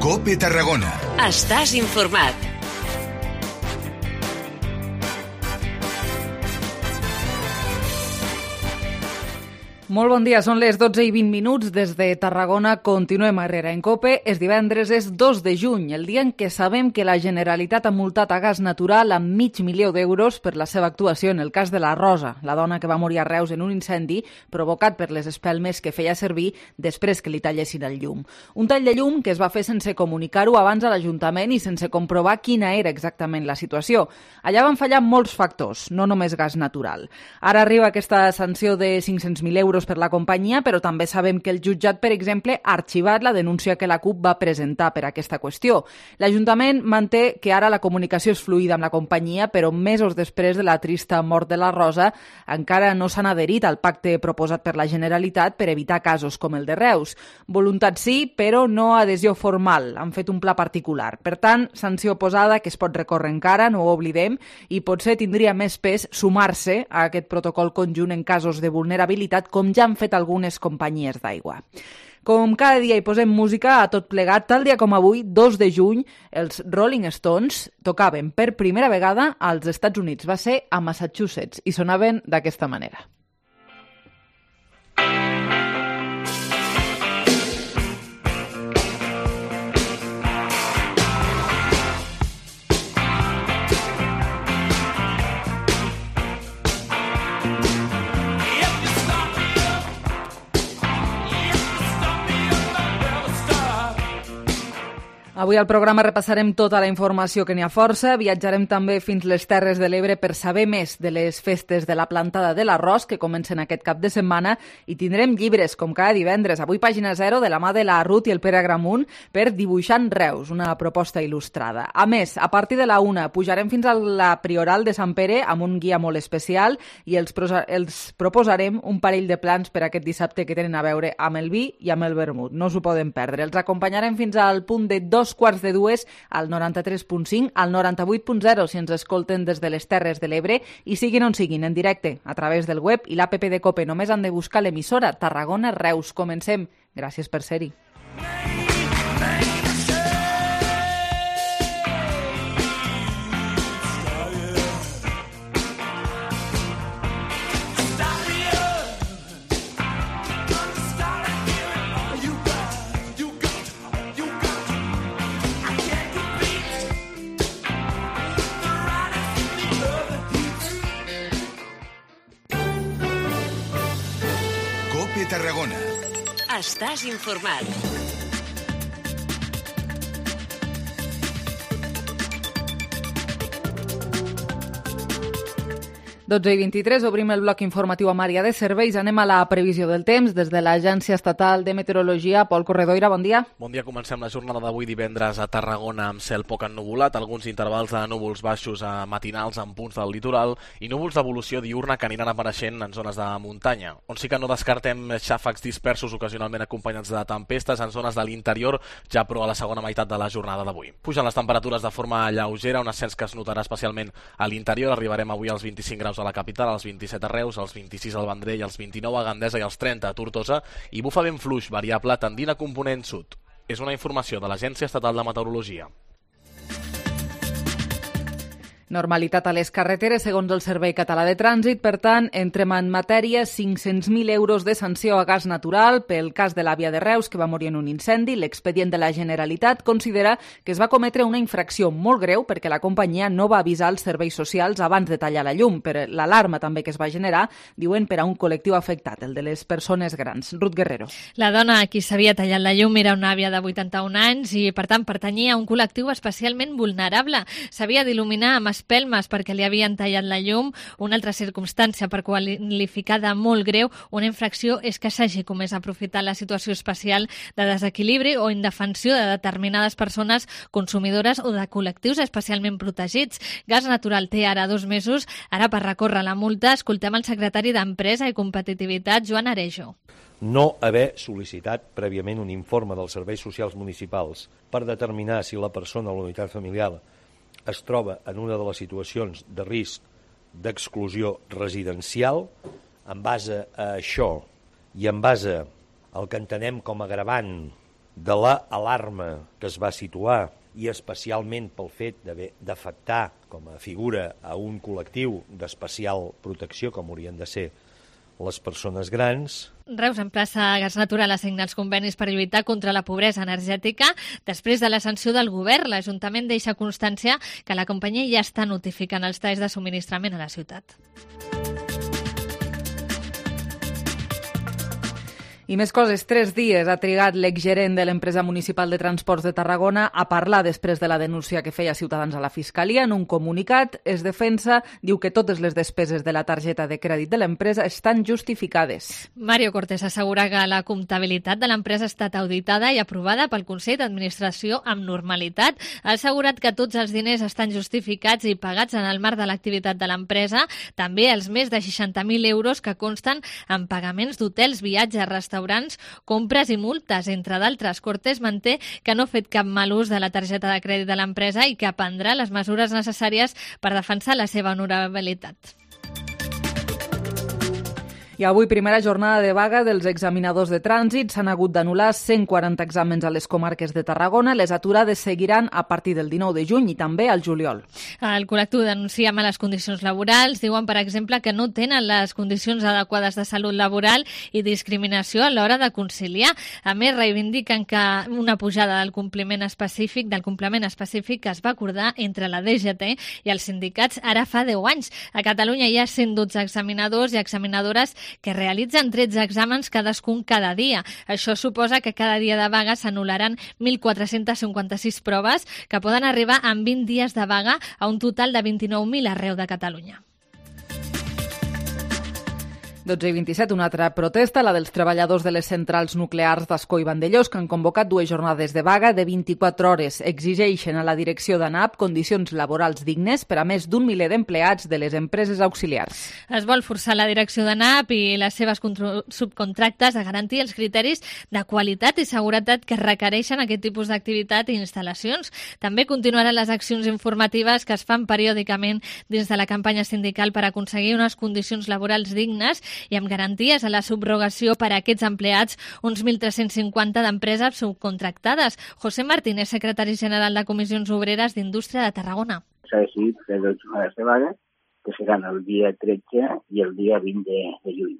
COPE Tarragona. Estàs informat. Molt bon dia, són les 12:20 des de Tarragona. Continuem a Herrera en COPE. És divendres, és 2 de juny, el dia en què sabem que la Generalitat ha multat a Gas Natural amb $500.000 per la seva actuació en el cas de la Rosa, la dona que va morir a Reus en un incendi provocat per les espelmes que feia servir després que li tallessin el llum. Un tall de llum que es va fer sense comunicar-ho abans a l'Ajuntament i sense comprovar quina era exactament la situació. Allà van fallar molts factors, no només Gas Natural. Ara arriba aquesta sanció de €500.000 per la companyia, però també sabem que el jutjat, per exemple, ha arxivat la denúncia que la CUP va presentar per aquesta qüestió. L'Ajuntament manté que ara la comunicació és fluida amb la companyia, però mesos després de la trista mort de la Rosa encara no s'han adherit al pacte proposat per la Generalitat per evitar casos com el de Reus. Voluntat sí, però no adhesió formal. Han fet un pla particular. Per tant, sanció posada que es pot recórrer encara, no ho oblidem, i potser tindria més pes sumar-se a aquest protocol conjunt en casos de vulnerabilitat, com ja han fet algunes companyies d'aigua. Com cada dia hi posem música a tot plegat, tal dia com avui, 2 de juny, els Rolling Stones tocaven per primera vegada als Estats Units. Va ser a Massachusetts i sonaven d'aquesta manera. Avui al programa repassarem tota la informació que n'hi ha força, viatjarem també fins les Terres de l'Ebre per saber més de les festes de la plantada de l'arròs que comencen aquest cap de setmana i tindrem llibres, com cada divendres. Avui Pàgina 0 de la mà de la Ruth i el Pere Agramunt per Dibuixant Reus, una proposta il·lustrada. A més, a partir de la 1 pujarem fins a la Prioral de Sant Pere amb un guia molt especial i els proposarem un parell de plans per aquest dissabte que tenen a veure amb el vi i amb el vermut. No s'ho poden perdre. Els acompanyarem fins al punt de 2:45 al 93.5, al 98.0 si ens escolten des de les Terres de l'Ebre i siguin on siguin, en directe, a través del web i l'APP de COPE. Només han de buscar l'emissora Tarragona Reus. Comencem. Gràcies per ser-hi. COPE Tarragona. Estàs informat. 12:23, obrim el bloc informatiu amb àrea de serveis. Anem a la previsió del temps des de l'Agència Estatal de Meteorologia. Pol Corredoira, bon dia. Bon dia, comencem la jornada d'avui divendres a Tarragona amb cel poc ennuvolat, alguns intervals de núvols baixos a matinals en punts del litoral i núvols d'evolució diurna que aniran apareixent en zones de muntanya, on sí que no descartem xàfecs dispersos ocasionalment acompanyats de tempestes en zones de l'interior, ja però a la segona meitat de la jornada d'avui. Pugen les temperatures de forma lleugera, un ascens que es notarà especialment a l'interior. Arribarem avui als 25 graus a la capital, als 27 a Reus, als 26 al Vendrell, als 29 a Gandesa i als 30 a Tortosa, i bufa vent fluix variable tendint a component sud. És una informació de l'Agència Estatal de Meteorologia. Normalitat a les carreteres, segons el Servei Català de Trànsit. Per tant, entrem en matèria, 500.000 euros de sanció a Gas Natural pel cas de l'àvia de Reus, que va morir en un incendi. L'expedient de la Generalitat considera que es va cometre una infracció molt greu perquè la companyia no va avisar els serveis socials abans de tallar la llum. Per l'alarma també que es va generar, diuen, per a un col·lectiu afectat, el de les persones grans. Ruth Guerrero. La dona a qui s'havia tallat la llum era una àvia de 81 anys i, per tant, pertanyia a un col·lectiu especialment vulnerable. S'havia d'il·luminar amb espelmes perquè li havien tallat la llum. Una altra circumstància per qualificar de molt greu una infracció és que s'hagi comès aprofitar la situació especial de desequilibri o indefensió de determinades persones consumidores o de col·lectius especialment protegits. Gas Natural té ara 2 mesos ara per recórrer la multa. Escoltem el secretari d'Empresa i Competitivitat, Joan Arejo. No haver sol·licitat prèviament un informe dels serveis socials municipals per determinar si la persona o la unitat familiar es troba en una de les situacions de risc d'exclusió residencial. En base a això i en base al que entenem com a agravant de l'alarma que es va situar i especialment pel fet d'afectar com a figura a un col·lectiu d'especial protecció, com haurien de ser les persones grans. Reus emplaça a Gas Natural a signar els convenis per lluitar contra la pobresa energètica. Després de la sanció del govern, l'Ajuntament deixa constància que la companyia ja està notificant els talls de subministrament a la ciutat. I més coses, 3 dies ha trigat l'exgerent de l'empresa municipal de transports de Tarragona a parlar després de la denúncia que feia Ciutadans a la Fiscalia. En un comunicat, es defensa, diu que totes les despeses de la targeta de crèdit de l'empresa estan justificades. Mario Cortés assegura que la comptabilitat de l'empresa ha estat auditada i aprovada pel Consell d'Administració amb normalitat. Ha assegurat que tots els diners estan justificats i pagats en el marc de l'activitat de l'empresa, també els més de 60.000 euros que consten en pagaments d'hotels, viatges, restaurants, compres i multes, entre d'altres. Cortés manté que no ha fet cap mal ús de la targeta de crèdit de l'empresa i que prendrà les mesures necessàries per defensar la seva honorabilitat. I avui, primera jornada de vaga dels examinadors de trànsit. S'han hagut d'anul·lar 140 exàmens a les comarques de Tarragona. Les aturades seguiran a partir del 19 de juny i també al juliol. El col·lectiu denuncia males condicions laborals. Diuen, per exemple, que no tenen les condicions adequades de salut laboral i discriminació a l'hora de conciliar. A més, reivindiquen que una pujada del complement específic que es va acordar entre la DGT i els sindicats ara fa 10 anys. A Catalunya hi ha 112 examinadors i examinadores que realitzen 13 exàmens cadascun cada dia. Això suposa que cada dia de vaga s'anul·laran 1.456 proves que poden arribar en 20 dies de vaga a un total de 29.000 arreu de Catalunya. 12:27, una altra protesta, la dels treballadors de les centrals nuclears d'Ascó i Vandellós, que han convocat 2 jornades de vaga de 24 hores. Exigeixen a la direcció d'ANAP condicions laborals dignes per a més d'un miler d'empleats de les empreses auxiliars. Es vol forçar la direcció d'ANAP i les seves subcontractes a garantir els criteris de qualitat i seguretat que requereixen aquest tipus d'activitat i instal·lacions. També continuaran les accions informatives que es fan periòdicament dins de la campanya sindical per aconseguir unes condicions laborals dignes i amb garanties a la subrogació per a aquests empleats, uns 1.350 d'empreses subcontractades. José Martínez, secretari general de Comissions Obreres d'Indústria de Tarragona. S'ha decidit fer 2 jornades de vaga, que seran el dia 13 i el dia 20 de juny.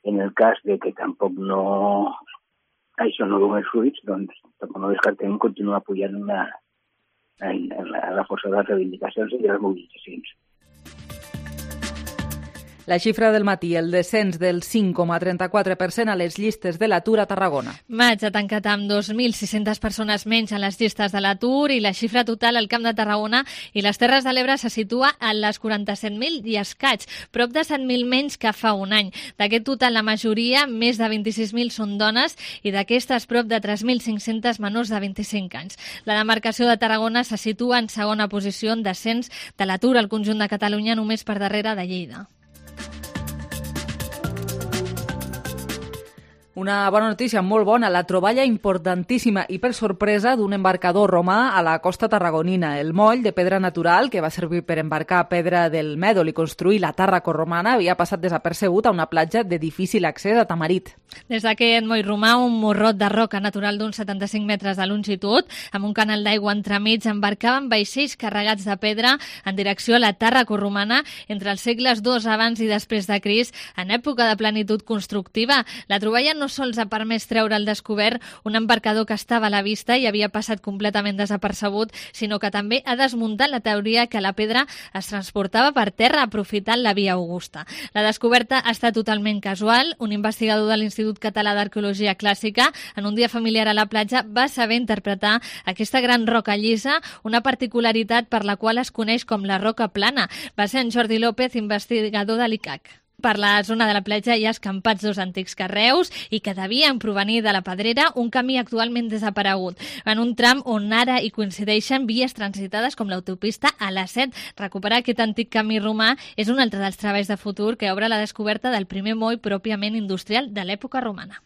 En el cas de que tampoc això no doni fruits, doncs tampoc no descartem continuar pujant la força de les reivindicacions i de les mobilitzacions. La xifra del matí, el descens del 5,34% a les llistes de l'atur a Tarragona. Maig ha tancat amb 2.600 persones menys a les llistes de l'atur i la xifra total al Camp de Tarragona i les Terres de l'Ebre se situa a les 47.000 i escaig, prop de 7.000 menys que fa un any. D'aquest total, la majoria, més de 26.000, són dones i d'aquestes prop de 3.500 menors de 25 anys. La demarcació de Tarragona se situa en segona posició en descens de l'atur al conjunt de Catalunya, només per darrere de Lleida. Una bona notícia, molt bona, la troballa importantíssima i per sorpresa d'un embarcador romà a la costa tarragonina. El moll de pedra natural, que va servir per embarcar pedra del Mèdol i construir la Tàrraco romana, havia passat desapercebut a una platja de difícil accés a Tamarit. Des d'aquest moll romà, un morrot de roca natural d'uns 75 metres de longitud, amb un canal d'aigua entremig, embarcaven vaixells carregats de pedra en direcció a la Tàrraco romana entre els segles II abans i després de Crist, en època de plenitud constructiva. La troballa no sols ha permès treure al descobert un embarcador que estava a la vista i havia passat completament desapercebut, sinó que també ha desmuntat la teoria que la pedra es transportava per terra aprofitant la via Augusta. La descoberta ha estat totalment casual. Un investigador de l'Institut Català d'Arqueologia Clàssica, en un dia familiar a la platja, va saber interpretar aquesta gran roca llisa, una particularitat per la qual es coneix com la roca plana. Va ser en Jordi López, investigador de l'ICAC. Per la zona de la platja hi ha escampats 2 antics carreus i que devien provenir de la Pedrera, un camí actualment desaparegut, en un tram on ara hi coincideixen vies transitades com l'autopista A7. Recuperar aquest antic camí romà és un altre dels treballs de futur que obre la descoberta del primer moll pròpiament industrial de l'època romana.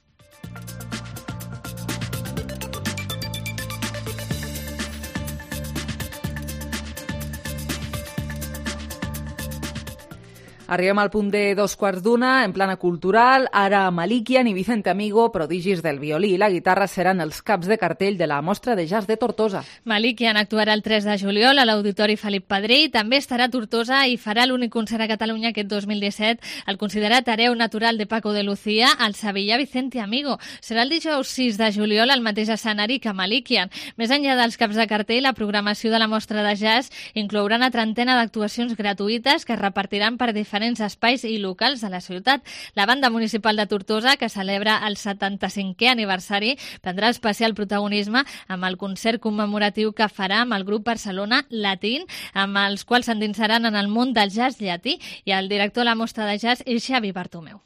Arribem al punt de 2:15, en plana cultural. Ara Malikian i Vicente Amigo, prodigis del violí i la guitarra, seran els caps de cartell de la Mostra de Jazz de Tortosa. Malikian actuarà el 3 de juliol a l'Auditori Felip Pedrell. També estarà a Tortosa i farà l'únic concert a Catalunya aquest 2017 al considerat hereu natural de Paco de Lucía, al Sevillà Vicente Amigo. Serà el dijous 6 de juliol al mateix escenari que Malikian. Més enllà dels caps de cartell, la programació de la Mostra de Jazz inclourà una trentena d'actuacions gratuïtes que es repartiran per diferents espais i locals de la ciutat. La Banda Municipal de Tortosa, que celebra el 75è aniversari, prendrà especial protagonisme amb el concert commemoratiu que farà amb el grup Barcelona Latín, amb els quals s'endinsaran en el món del jazz llatí, i el director de la Mostra de Jazz és Xavi Bartomeu.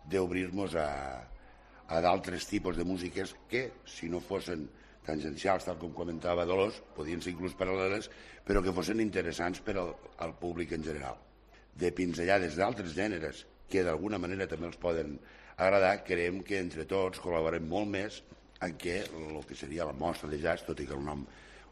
D'obrir-nos a d'altres tipus de músiques que, si no fossin tangencials, tal com comentava Dolors, podien ser inclús paral·leles, però que fossin interessants per al públic en general. De pinzellades d'altres gèneres que d'alguna manera també els poden agradar, creiem que entre tots col·laborem molt més en què el que seria la Mostra de Jazz, tot i que el nom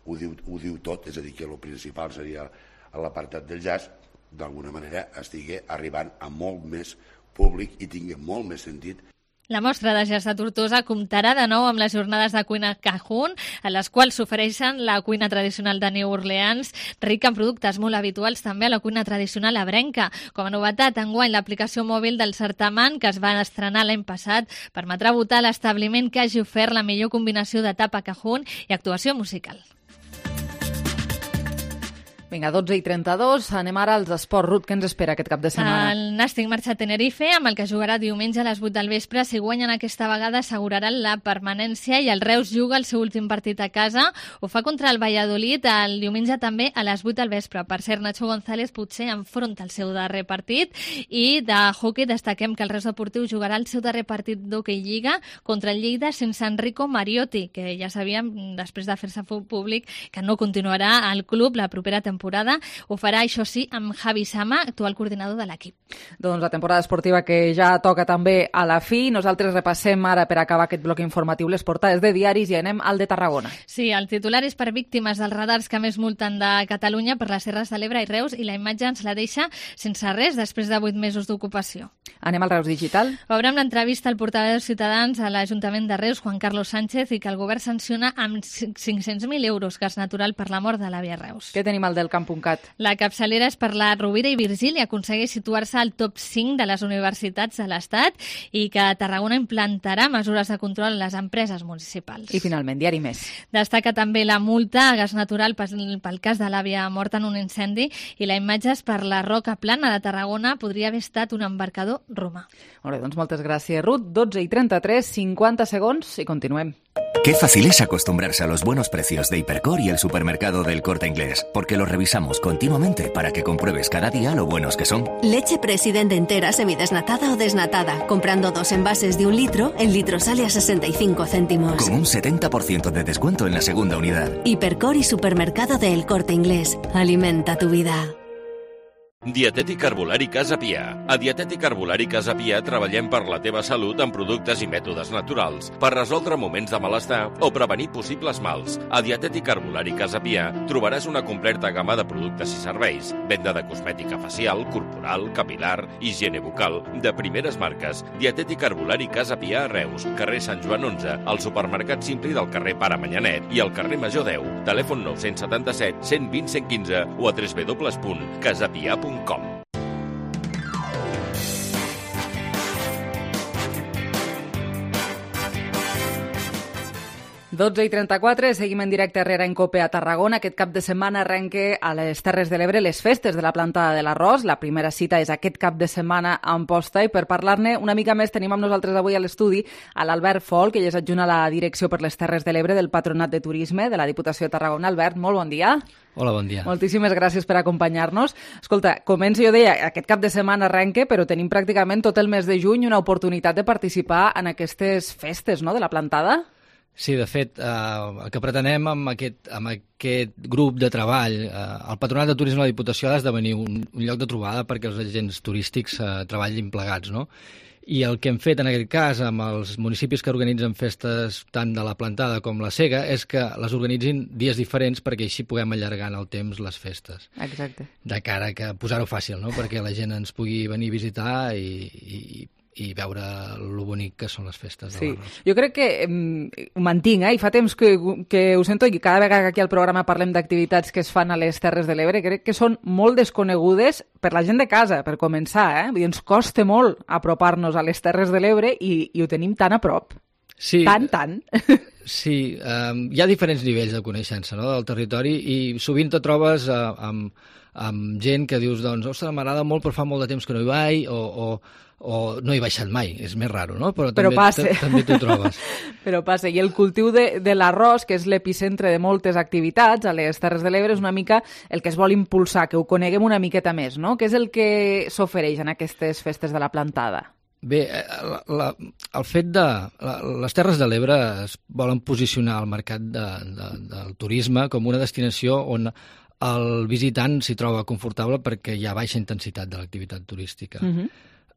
ho diu tot, és a dir, que el principal seria l'apartat del jazz, d'alguna manera estigui arribant a molt més públic i tingui molt més sentit. La Mostra de Jazz de Tortosa comptarà de nou amb les jornades de cuina Cajun, a les quals s'ofereixen la cuina tradicional de New Orleans, rica en productes molt habituals també a la cuina tradicional ebrenca. Com a novetat, enguany, l'aplicació mòbil del certamen, que es va estrenar l'any passat, permetrà votar l'establiment que hagi ofert la millor combinació de tapa Cajun i actuació musical. Vinga, 12:32, anem ara als esports. Ruth, què ens espera aquest cap de setmana? El Nàstic marxa a Tenerife, amb el que jugarà diumenge a les 8 del vespre. Si guanyen aquesta vegada, asseguraran la permanència, i el Reus juga el seu últim partit a casa. Ho fa contra el Valladolid el diumenge també a les 8 del vespre. Per cert, Nacho González potser enfronta el seu darrer partit. I de hoquei destaquem que el Reus Deportiu jugarà el seu darrer partit d'hoquei Lliga contra el Lleida sense Enrico Mariotti, que ja sabíem, després de fer-se públic, que no continuarà al club la propera temporada. Ho farà, això sí, amb Javi Sama, actual coordinador de l'equip. Doncs la temporada esportiva que ja toca també a la fi. Nosaltres repassem ara, per acabar aquest bloc informatiu, les portades de diaris i anem al de Tarragona. Sí, el titular és per víctimes dels radars que més multen de Catalunya per les Terres de l'Ebre i Reus, i la imatge ens la deixa sense res després de 8 mesos d'ocupació. Anem al Reus Digital. Obrem l'entrevista al portaveu de Ciutadans a l'Ajuntament de Reus, Juan Carlos Sánchez, i que el govern sanciona amb 500.000 euros gas natural per la mort de l'àvia Reus. Què tenim al del Camp.cat? La capçalera és per la Rovira i Virgili, aconsegueix situar-se al top 5 de les universitats de l'Estat, i que Tarragona implantarà mesures de control a les empreses municipals. I finalment, Diari Més. Destaca també la multa a gas natural pel cas de l'àvia morta en un incendi, i la imatge és per la Roca Plana de Tarragona, podria haver estat un embarcador romà. Molt bé, doncs moltes gràcies, Ruth. 12:33, 50 segons i continuem. Qué fácil es acostumbrarse a los buenos precios de Hipercor y el supermercado del Corte Inglés, porque los revisamos continuamente para que compruebes cada día lo buenos que son. Leche President entera, semidesnatada o desnatada. Comprando 2 envases de 1 litro, el litro sale a 65 céntimos. Con un 70% de descuento en la segunda unidad. Hipercor y supermercado del Corte Inglés. Alimenta tu vida. Dietètic Herbolari Casa Pia. A Dietètic Herbolari Casa Pia treballem per la teva salut amb productes i mètodes naturals, per resoldre moments de malestar o prevenir possibles mals. A Dietètic Herbolari Casa Pia trobaràs una completa gamma de productes i serveis, venda de cosmètica facial, corporal, capilar, higiene bucal, de primeres marques. Dietètic Herbolari Casa Pia a Reus, carrer Sant Joan 11, al supermercat Simpli del carrer Pare Manyanet i al carrer Major 10. Telèfon 977 120 115 o a www.casapia.com. 12:34, seguim en directe a Herrera en Cope a Tarragona. Aquest cap de setmana arrenca a les Terres de l'Ebre les festes de la Plantada de l'Arròs. La primera cita és aquest cap de setmana a Amposta, i per parlar-ne una mica més tenim amb nosaltres avui a l'estudi a l'Albert Folk, que ell és adjunt a la Direcció per les Terres de l'Ebre del Patronat de Turisme de la Diputació de Tarragona. Albert, molt bon dia. Hola, bon dia. Moltíssimes gràcies per acompanyar-nos. Escolta, començo, jo deia, aquest cap de setmana arrenca, però tenim pràcticament tot el mes de juny una oportunitat de participar en aquestes festes, no?, de la Plantada. Sí, de fet, el que pretenem amb aquest grup de treball, el Patronat de Turisme de la Diputació ha d'esdevenir un lloc de trobada perquè els agents turístics treballin plegats, no? I el que hem fet en aquest cas amb els municipis que organitzen festes tant de la Plantada com la Sega és que les organitzin dies diferents perquè així puguem allargar en el temps les festes. Exacte. De cara que posar-ho fàcil, no? Perquè la gent ens pugui venir a visitar i veure lo bonic que són les festes de l'Arròs. Jo crec que ho mantinc, i fa temps que ho sento, i cada vegada que aquí al programa parlem d'activitats que es fan a les Terres de l'Ebre, crec que són molt desconegudes per la gent de casa, per començar. Vull dir, ens costa molt apropar-nos a les Terres de l'Ebre i ho tenim tan a prop. Sí, tant. Sí, hi ha diferents nivells de coneixença, no?, del territori, i sovint te trobes amb gent que dius, doncs, ostres, m'agrada molt però fa molt de temps que no hi vaig, o no he baixat mai, és més raro, no? Però també t'ho trobes. Però passa. I el cultiu de l'arròs, que és l'epicentre de moltes activitats a les Terres de l'Ebre, és una mica el que es vol impulsar, que ho coneguem una miqueta més, no? Què és el que s'ofereix en aquestes festes de la Plantada? Bé, el fet de... Les Terres de l'Ebre es volen posicionar al mercat del turisme com una destinació on el visitant s'hi troba confortable perquè hi ha baixa intensitat de l'activitat turística.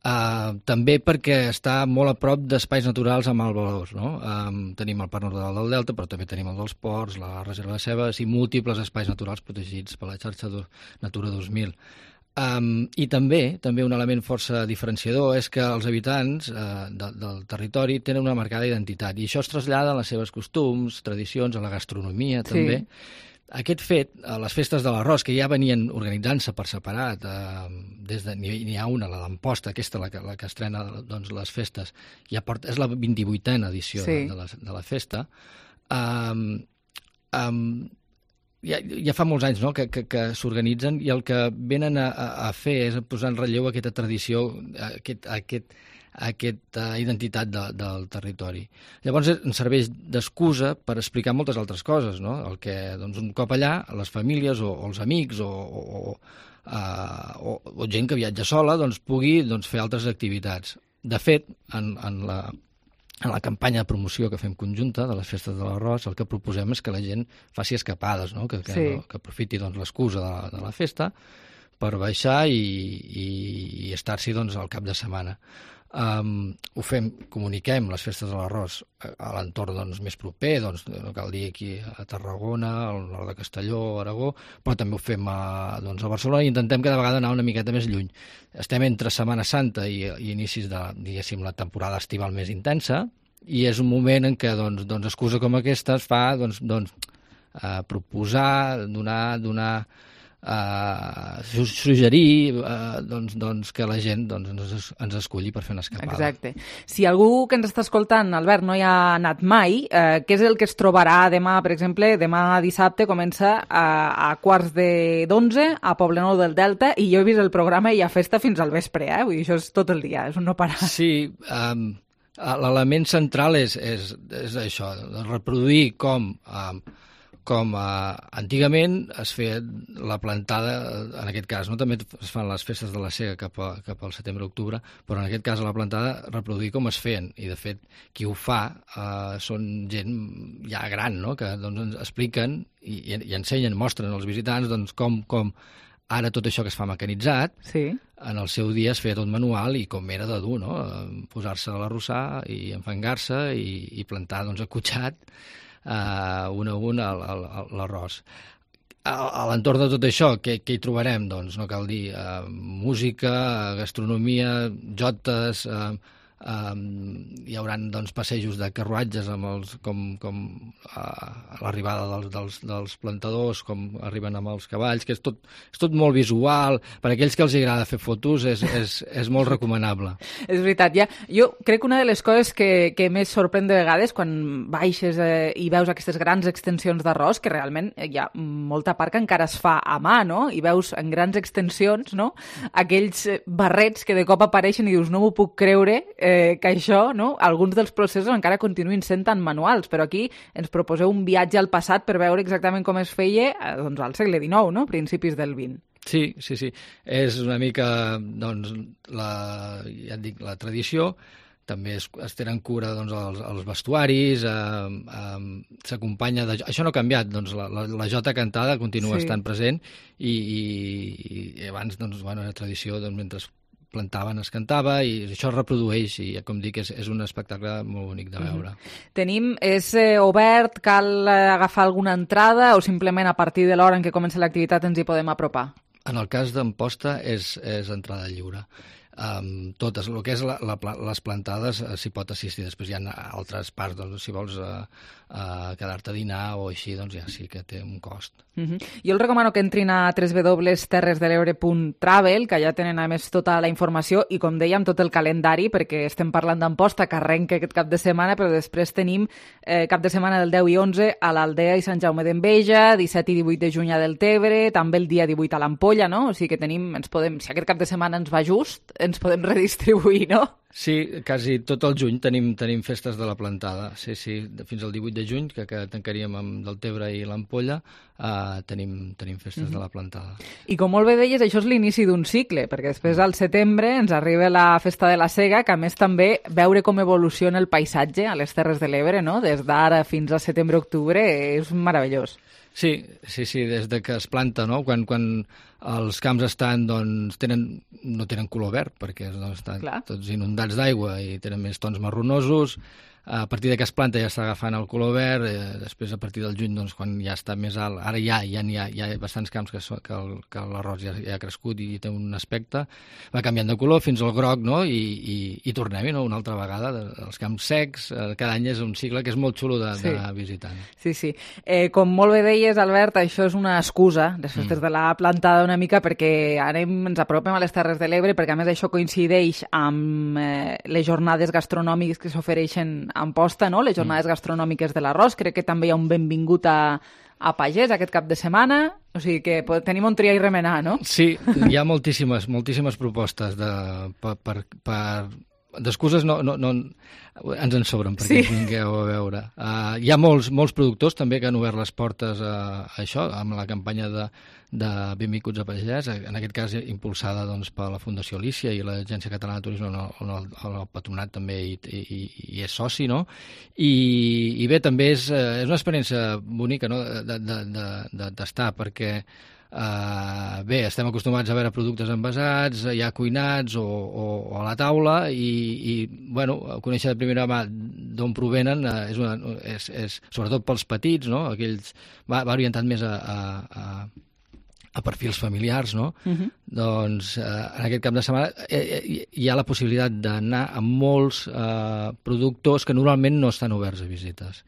També perquè està molt a prop d'espais naturals amb alt valors, no? Tenim el Parc Natural del Delta, però també tenim el dels Ports, la Reserva de Cebes i múltiples espais naturals protegits per la xarxa Natura 2000. I també un element força diferenciador és que els habitants del territori tenen una marcada identitat, i això es trasllada a les seves costums, tradicions, a la gastronomia també. Aquest fet, les festes de l'Arròs, que ja venien organitzant-se per separat, n'hi ha una, la d'Amposta, aquesta, la que estrena doncs, les festes, és la 28a edició de la festa, ja fa molts anys, no?, que s'organitzen, i el que venen a fer és posar en relleu aquesta tradició, aquesta identitat del territori. Llavors ens serveix d'excusa per explicar moltes altres coses, no? El que, doncs, un cop allà, les famílies o els amics o gent que viatja sola doncs, pugui fer altres activitats. De fet, en la campanya de promoció que fem conjunta de les festes de l'Arròs, el que proposem és que la gent faci escapades, no? Que aprofiti l'excusa de la festa per baixar i estar-s'hi al cap de setmana. Comuniquem les festes de l'Arròs a l'entorn més proper, no cal dir aquí a Tarragona, al nord de Castelló, Aragó, però també ho fem a Barcelona, i intentem cada vegada anar una miqueta més lluny. Estem entre Setmana Santa i inicis de, diguéssim, la temporada estival més intensa, i és un moment en què excusa com aquesta es fa proposar, donar suggerir que la gent ens esculli per fer una escapada. Exacte. Si algú que ens està escoltant, Albert, no hi ha anat mai, què és el que es trobarà demà, per exemple? Demà dissabte comença a 11:15 a Poblenou del Delta, i jo he vist el programa i hi ha festa fins al vespre, vull dir, això és tot el dia, és un no parar. Sí, l'element central és això, reproduir com antigament es feia la plantada, en aquest cas, no? També es fan les festes de la Sega cap al setembre-octubre, però en aquest cas a la plantada reproduir com es feien, i de fet qui ho fa són gent ja gran, no? Que ens expliquen i ensenyen, mostren als visitants com ara tot això que es fa mecanitzat, en el seu dia es feia tot manual, i com era de dur, no? Posar-se a l'arrossar i enfangar-se i plantar acotxat un a un l'arròs. A l'entorn de tot això, què hi trobarem? Doncs no cal dir música, gastronomia, jotes, hi haurà passejos de carruatges com a l'arribada dels plantadors, com arriben amb els cavalls, que és tot molt visual. Per aquells que els agrada fer fotos és molt recomanable. És veritat, jo crec que una de les coses que més sorprèn de vegades quan baixes i veus aquestes grans extensions d'arròs, que realment hi ha molta part que encara es fa a mà, no? I veus en grans extensions, no?, aquells barrets que de cop apareixen i dius, no m'ho puc creure, que això, no?, alguns dels processos encara continuïn sent tan manuals, però aquí ens proposeu un viatge al passat per veure exactament com es feia al segle XIX, no?, principis del XX. Sí. És una mica, la tradició. També es tenen cura els vestuaris, s'acompanya de... Això no ha canviat, la jota cantada continua estant present, i abans, era tradició, mentre plantaven, es cantava, i això es reprodueix, i com dic, és un espectacle molt bonic de veure. Tenim, és obert, cal agafar alguna entrada o simplement a partir de l'hora en què comença l'activitat ens hi podem apropar? En el cas d'Amposta és entrada lliure. Totes, el que és les plantades s'hi pot assistir, després hi ha altres parts, doncs, si vols quedar-te a dinar o així, doncs ja sí que té un cost. Jo els recomano que entrin a www.terresdelebre.travel, que allà tenen a més tota la informació i, com dèiem, tot el calendari, perquè estem parlant d'Amposta, que arrenca aquest cap de setmana, però després tenim cap de setmana del 10 i 11 a l'Aldea i Sant Jaume d'Enveja, 17 i 18 de juny a Deltebre, també el dia 18 a l'Ampolla, no? O sigui que tenim, si aquest cap de setmana ens va just, ens podem redistribuir, no? Sí, quasi tot el juny tenim festes de la plantada. Sí, fins al 18 de juny, que tancaríem amb Deltebre i l'Ampolla, tenim festes de la plantada. I com molt bé deies, això és l'inici d'un cicle, perquè després al setembre ens arriba la Festa de la Sega, que a més també veure com evoluciona el paisatge a les Terres de l'Ebre, no? Des d'ara fins a setembre-octubre, és meravellós. Sí, des de que es planta, no? Quan els camps estan, doncs, no tenen color verd, perquè estan tots inundats d'aigua i tenen més tons marronosos. A partir que es planta ja està agafant el color verd, després a partir del juny, doncs, quan ja està més alt, ara ja hi ha bastants camps que l'arròs ja ha crescut i té un aspecte, va canviant de color fins al groc, no? I tornem-hi, no? Una altra vegada, els camps secs, cada any és un cicle que és molt xulo de visitar. Sí. Com molt bé deies, Albert, això és una excusa, les festes de la plantada una mica, perquè ens apropem a les Terres de l'Ebre, perquè a més això coincideix amb les jornades gastronòmiques que s'ofereixen a Amposta, no? Les jornades gastronòmiques de l'arròs. Crec que també hi ha un benvingut a pagès aquest cap de setmana, o sigui que tenim on triar i remenar, no? Sí, hi ha moltíssimes propostes d'excuses no ens en sobren perquè vingueu a veure. Hi ha molts productors també que han obert les portes a això, amb la campanya de Benvinguts a Pagès, en aquest cas impulsada doncs, per la Fundació Alícia i l'Agència Catalana de Turisme, on el patronat també hi és soci, no? I bé, també és una experiència bonica, no?, de tastar, perquè bé, estem acostumats a veure productes envasats, ja cuinats o a la taula i bueno, conèixer de primera mà d'on provenen és sobretot pels petits, no? Aquells va orientat més a perfils familiars, no? Doncs en aquest cap de setmana hi ha la possibilitat d'anar a molts productors que normalment no estan oberts a visites.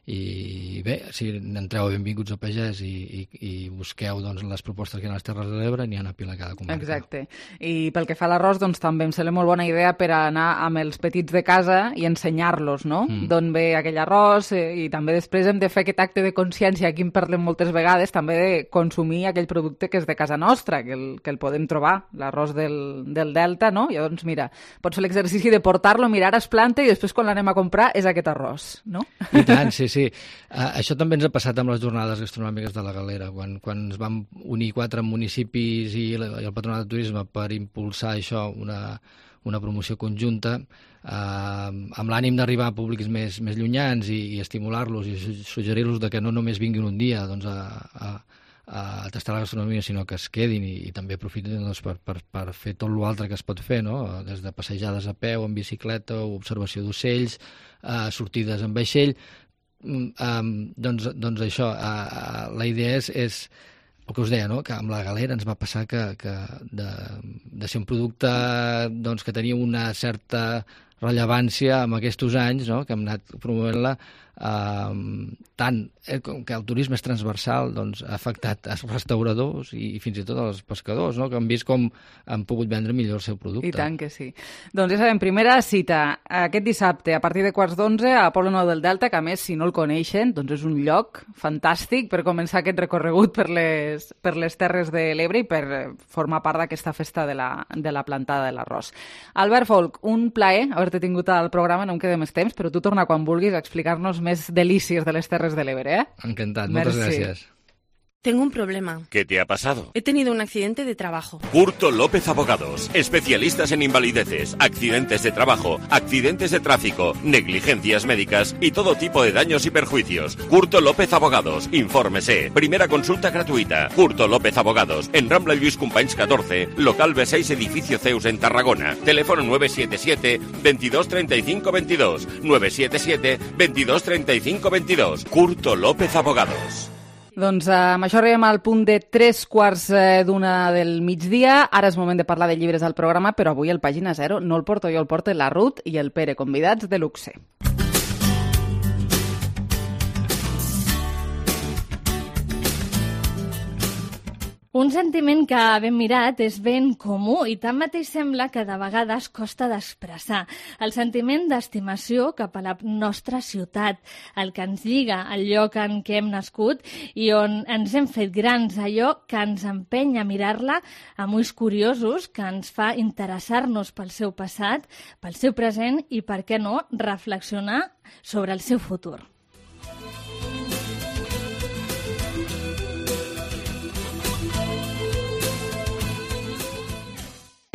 I bé, si entreu a Benvinguts a Pagès i busqueu doncs, les propostes que hi ha a les Terres de l'Ebre, n'hi ha una pila a cada comarca. Exacte. I pel que fa a l'arròs, doncs també em sembla molt bona idea per anar amb els petits de casa i ensenyar-los, no? D'on ve aquell arròs i també després hem de fer aquest acte de consciència, aquí en parlem moltes vegades, també de consumir aquell producte que és de casa nostra, que el podem trobar, l'arròs del Delta, no? Llavors, mira, pots fer l'exercici de portar-lo, mirar, es planta i després quan l'anem a comprar és aquest arròs, no? I tant, sí. Això també ens ha passat amb les jornades gastronòmiques de la Galera, quan es van unir 4 municipis i el Patronat de Turisme per impulsar això, una promoció conjunta, amb l'ànim d'arribar a públics més llunyans i estimular-los i suggerir-los que no només vinguin un dia doncs, a tastar la gastronomia, sinó que es quedin i també aprofitin doncs, per fer tot l'altre que es pot fer, no? Des de passejades a peu, en bicicleta, observació d'ocells, sortides en vaixell. Doncs això, la idea és el que us deia, no? Que amb la Galera ens va passar que de ser un producte doncs, que tenia una certa rellevància en aquests anys, no? Que hem anat promovent-la, tant com que el turisme és transversal, doncs, ha afectat els restauradors i fins i tot els pescadors, no? Que han vist com han pogut vendre millor el seu producte. I tant que sí. Doncs ja sabem, primera cita aquest dissabte a partir de 11:15 a Poble Nou del Delta, que a més, si no el coneixen, doncs és un lloc fantàstic per començar aquest recorregut per les Terres de l'Ebre i per formar part d'aquesta festa de la plantada de l'arròs. Albert Folch, un plaer haver-te tingut al programa, no em queda més temps, però tu torna quan vulguis a explicar-nos més delícies de les Terres de l'Ebre, eh? Encantat, moltes gràcies. Tengo un problema. ¿Qué te ha pasado? He tenido un accidente de trabajo. Curto López Abogados, especialistas en invalideces, accidentes de trabajo, accidentes de tráfico, negligencias médicas y todo tipo de daños y perjuicios. Curto López Abogados, infórmese. Primera consulta gratuita. Curto López Abogados, en Rambla Lluís Companys 14, local B6, edificio Zeus en Tarragona. Teléfono 977 22 35 22. 977 22 35 22. Curto López Abogados. Doncs amb això arribem al punt de 3:15 del migdia. Ara és moment de parlar de llibres al programa, però avui el Pàgina Zero no el porto jo, el porta la Ruth i el Pere, convidats de luxe. Un sentiment que, ben mirat, és ben comú i tanmateix sembla que de vegades costa d'expressar. El sentiment d'estimació cap a la nostra ciutat, el que ens lliga al lloc en què hem nascut i on ens hem fet grans, allò que ens empenya a mirar-la amb ulls curiosos, que ens fa interessar-nos pel seu passat, pel seu present i, per què no, reflexionar sobre el seu futur.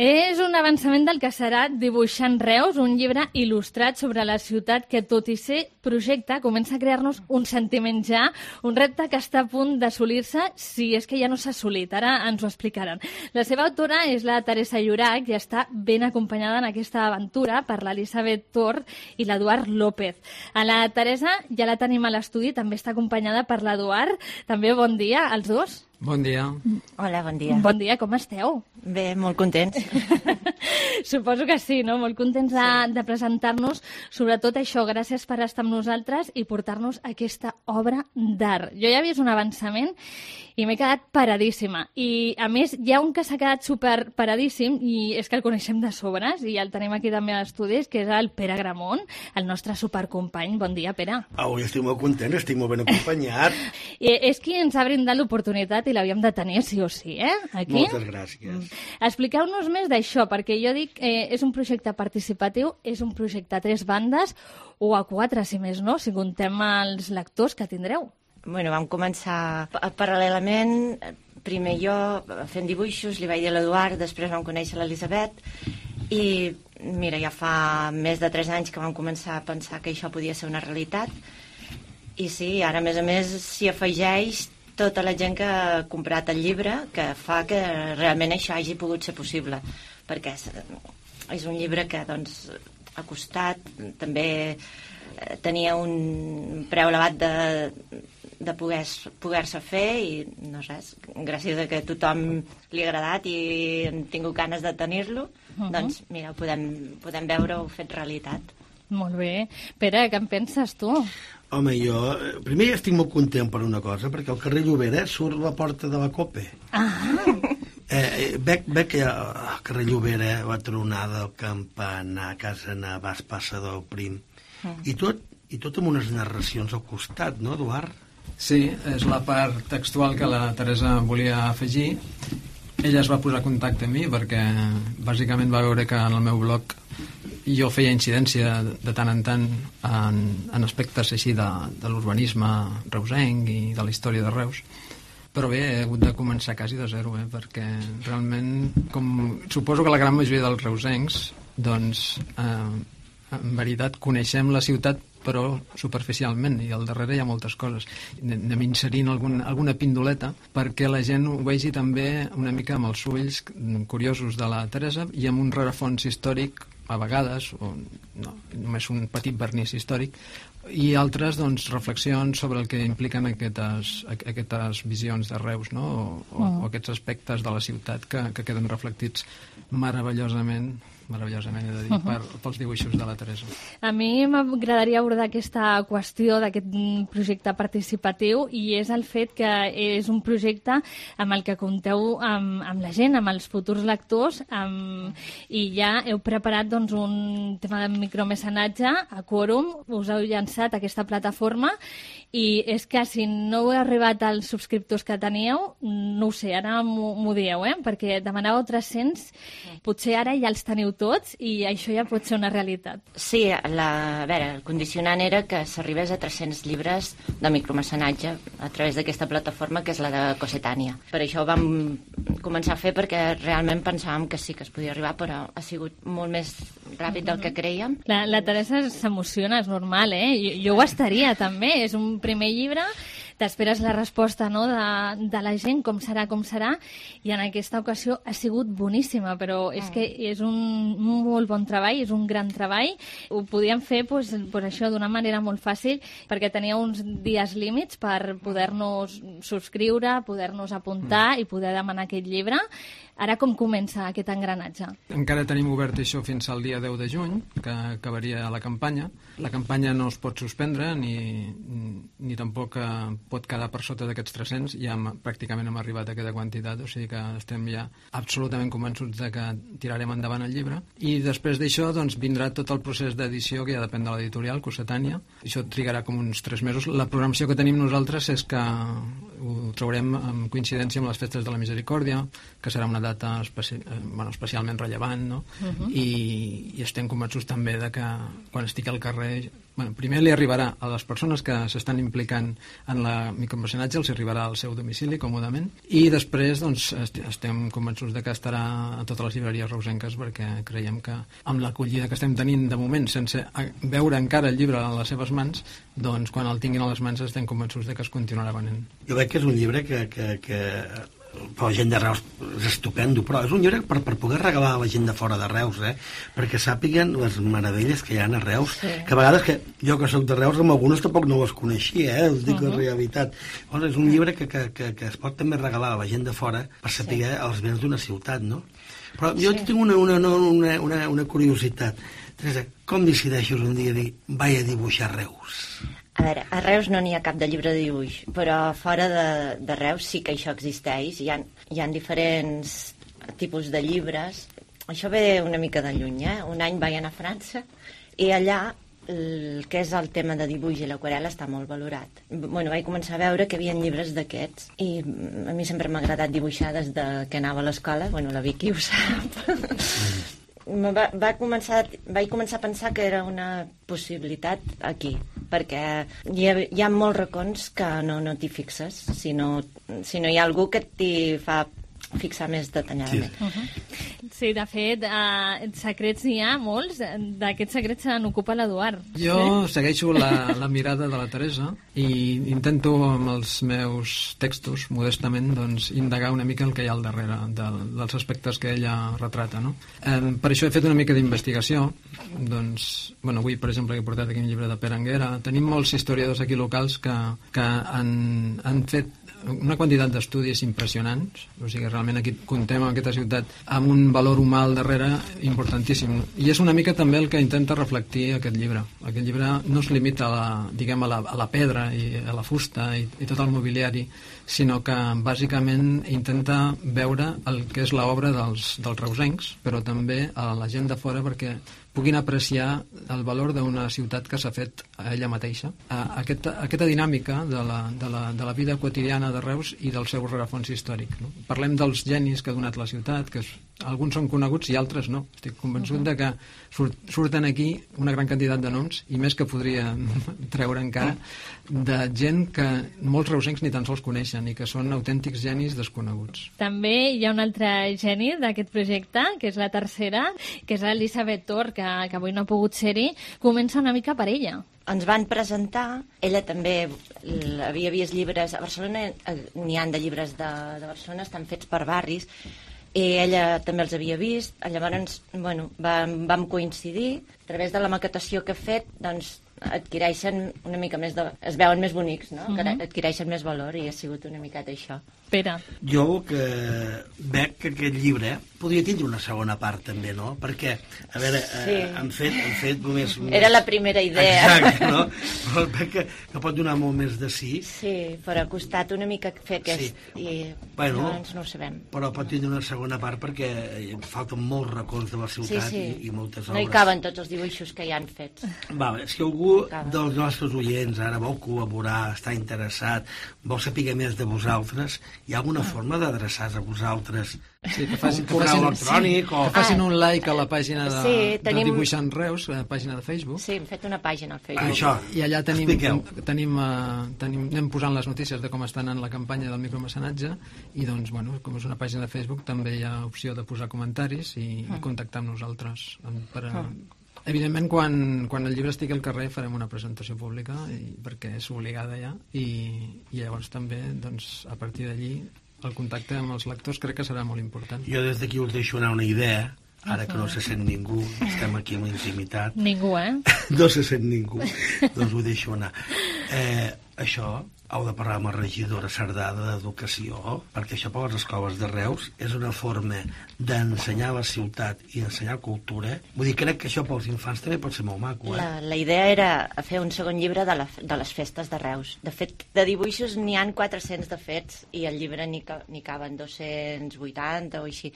És un avançament del que serà Dibuixant Reus, un llibre il·lustrat sobre la ciutat que, tot i ser projecte, comença a crear-nos un sentiment ja, un repte que està a punt d'assolir-se, si és que ja no s'ha assolit. Ara ens ho explicaran. La seva autora és la Teresa Llorach i està ben acompanyada en aquesta aventura per l'Elisabet Tort i l'Eduard López. A la Teresa ja la tenim a l'estudi, també està acompanyada per l'Eduard. També bon dia als dos. Bon dia. Hola, bon dia. Bon dia, com esteu? Bé, molt contents. Suposo que sí, no? Molt contents de presentar-nos. Sobretot això, gràcies per estar amb nosaltres i portar-nos aquesta obra d'art. Jo ja he vist un avançament i m'he quedat paradíssima. I, a més, hi ha un que s'ha quedat super paradíssim i és que el coneixem de sobres i el tenim aquí també a l'estudi, que és el Pere Gramont, el nostre supercompany. Bon dia, Pere. Avui estic molt content, estic molt ben acompanyat. És qui ens ha brindat l'oportunitat i l'havíem de tenir sí o sí, aquí. Moltes gràcies. Expliqueu-nos més d'això, perquè jo dic, és un projecte participatiu, és un projecte a 3 bandes, o a 4, si més no, si contem els lectors que tindreu. Bueno, vam començar paral·lelament, primer jo fent dibuixos, li vaig dir a l'Eduard, després vam conèixer l'Elisabet, i mira, ja fa més de 3 anys que vam començar a pensar que això podia ser una realitat, i sí, ara a més s'hi afegeix tota la gent que ha comprat el llibre, que fa que realment això hagi pogut ser possible, perquè és un llibre que doncs, ha costat, també tenia un preu elevat de poder-se fer i no sé, gràcies a que a tothom li ha agradat i hem tingut ganes de tenir-lo, doncs mira, podem veure-ho fet realitat. Molt bé. Pere, què en penses tu? Home, jo primer estic molt content per una cosa, perquè al carrer Llobera surt la porta de la COPE. Veig que al carrer Llobera va tronada, el campanar, Casa Navàs, Passador Prim, i tot amb unes narracions al costat, no, Eduard? Sí, és la part textual que la Teresa volia afegir. Ella es va posar en contacte amb mi perquè bàsicament va veure que en el meu blog jo feia incidència de tant en tant en aspectes així de l'urbanisme reusenc i de la història de Reus. Però bé, he hagut de començar quasi de zero, perquè realment, com suposo que la gran majoria dels reusencs, doncs, en veritat, coneixem la ciutat però superficialment, i al darrere hi ha moltes coses. Anem inserint alguna pindoleta perquè la gent ho vegi també una mica amb els ulls curiosos de la Teresa i amb un rerefons històric, a vegades, o no, només un petit vernís històric, i altres doncs, reflexions sobre el que impliquen aquestes visions de Reus, no? o aquests aspectes de la ciutat que queden reflectits meravellosament, he de dir, pels dibuixos de la Teresa. A mi m'agradaria abordar aquesta qüestió d'aquest projecte participatiu i és el fet que és un projecte amb el que compteu amb la gent, amb els futurs lectors, i ja heu preparat doncs, un tema de micromecenatge a Quòrum, us heu llançat a aquesta plataforma i és que si no heu arribat als subscriptors que teníeu, no ho sé, ara m'ho dieu, perquè demanàveu 300, potser ara ja els teniu tots i això ja pot ser una realitat. Sí, a veure, el condicionant era que s'arribés a 300 llibres de micromecenatge a través d'aquesta plataforma que és la de Cossetània. Per això ho vam començar a fer perquè realment pensàvem que sí que es podia arribar, però ha sigut molt més ràpid del que creiem. La Teresa s'emociona, és normal, jo ho estaria també, és un primer llibre, t'esperes la resposta, no, de la gent, com serà, i en aquesta ocasió ha sigut boníssima, però és que és un molt bon treball, és un gran treball. Ho podíem fer pues, això d'una manera molt fàcil, perquè tenia uns dies límits per poder-nos subscriure, poder-nos apuntar i poder demanar aquest llibre. Ara com comença aquest engranatge? Encara tenim obert això fins al dia 10 de juny, que acabaria la campanya. La campanya no es pot suspendre ni tampoc pot quedar per sota d'aquests 300. Ja pràcticament hem arribat a aquesta quantitat, o sigui que estem ja absolutament convençuts de que tirarem endavant el llibre. I després d'això doncs, vindrà tot el procés d'edició, que ja depèn de l'editorial, Cossetània. Això trigarà com uns 3 mesos. La programació que tenim nosaltres és que ho traurem en coincidència amb les festes de la Misericòrdia, que serà una data especialment rellevant, no? I estem convençuts també de que quan estigui al carrer, primer li arribarà a les persones que s'estan implicant en la micromecenatge, els arribarà al seu domicili còmodament, i després doncs, estem convençuts de que estarà a totes les llibreries reusenques, perquè creiem que amb l'acollida que estem tenint de moment, sense veure encara el llibre a les seves mans, doncs quan el tinguin a les mans estem convençuts de que es continuarà venent. Jo veig que és un llibre que per la gent de Reus és estupendo, però és un llibre per poder regalar a la gent de fora de Reus, perquè sàpiguen les meravelles que hi ha a Reus, que a vegades que jo que soc de Reus amb algunes tampoc no les coneixia, us dic la realitat. Llavors, és un llibre que es pot també regalar a la gent de fora per saber els béns d'una ciutat, no? Però jo tinc una curiositat. Teresa, com decideixes un dia dir vaig a dibuixar Reus? A veure, a Reus no n'hi ha cap de llibre de dibuix, però fora de Reus sí que això existeix. Hi ha diferents tipus de llibres. Això ve una mica de lluny, Un any vaig anar a França i allà el que és el tema de dibuix i l'aquarel·la està molt valorat. Vaig començar a veure que hi havia llibres d'aquests i a mi sempre m'ha agradat dibuixar des que anava a l'escola. La Vicky ho sap. Vaig començar a pensar que era una possibilitat aquí, perquè hi ha molts racons que no t'hi fixes si no hi ha algú que t'hi fa fixar més detalladament. Sí, de fet, secrets n'hi ha molts. D'aquests secrets se n'ocupa l'Eduard. Jo segueixo la mirada de la Teresa i intento amb els meus textos, modestament, doncs, indagar una mica el que hi ha al darrere dels aspectes que ella retrata, no? Per això he fet una mica d'investigació. Doncs, avui, per exemple, he portat aquí un llibre de Pere Anguera. Tenim molts historiadors aquí locals que han fet una quantitat d'estudis impressionants, o sigui, realment aquí contem en aquesta ciutat amb un valor humà al darrere importantíssim, i és una mica també el que intenta reflectir aquest llibre. Aquest llibre no es limita a la pedra i a la fusta i tot el mobiliari, sinó que bàsicament intenta veure el que és l'obra dels reusencs, però també a la gent de fora, perquè puguin apreciar el valor d'una ciutat que s'ha fet a ella mateixa. Aquesta dinàmica de la vida quotidiana de Reus i del seu rerefons històric. No? Parlem dels genis que ha donat la ciutat, que alguns són coneguts i altres no. Estic convençut de que surten aquí una gran quantitat de noms, i més que podria treure encara, de gent que molts reusencs ni tan sols coneixen i que són autèntics genis desconeguts. També hi ha un altre geni d'aquest projecte, que és la tercera, que és l'Elisabet Tor, que avui no ha pogut ser-hi. Comença una mica per ella. Ens van presentar, ella també havia vist llibres, a Barcelona n'hi ha de llibres de Barcelona, estan fets per barris, i ella també els havia vist. Llavors, vam coincidir. A través de la maquetació que he fet, doncs, adquireixen una mica més es veuen més bonics, no? Adquireixen més valor, i ha sigut una miqueta això. Pere. Jo que veig que aquest llibre podria tindre una segona part també, no? Perquè, a veure, han fet només... Era la primera idea. Exacte, no? Però veig que pot donar molt més de sí. Sí, però ha costat una mica fer aquest... I llavors no ho sabem. Però pot tindre una segona part perquè falten molts racons de la ciutat i moltes obres. No hi caben tots els dibuixos que hi han fets. Si algú algú dels nostres oients ara vol col·laborar, està interessat, vol saber més de vosaltres, hi ha alguna forma d'adreçar-se a vosaltres? Sí, que correu electrònic o... Que facin un like a la pàgina de tenim... Dibuixant Reus, la pàgina de Facebook. Sí, hem fet una pàgina al Facebook. Això, i allà anem posant les notícies de com està anant la campanya del micromecenatge i doncs, bueno, com és una pàgina de Facebook també hi ha opció de posar comentaris i contactar amb nosaltres Evidentment, quan el llibre estigui al carrer farem una presentació pública perquè és obligada ja i llavors també, doncs, a partir d'allí el contacte amb els lectors crec que serà molt important. Jo des d'aquí us deixo anar una idea, ara que no se sent ningú, estem aquí amb intimitat. Ningú, No se sent ningú, doncs ho deixo anar. Això heu de parlar amb la regidora Cerdà d'Educació, perquè això per les escoles de Reus és una forma d'ensenyar la ciutat i d'ensenyar cultura. Vull dir, crec que això pels infants també pot ser molt maco. La idea era fer un segon llibre de les festes de Reus. De fet, de dibuixos n'hi han 400 de fets i el llibre n'hi caben 280 o així.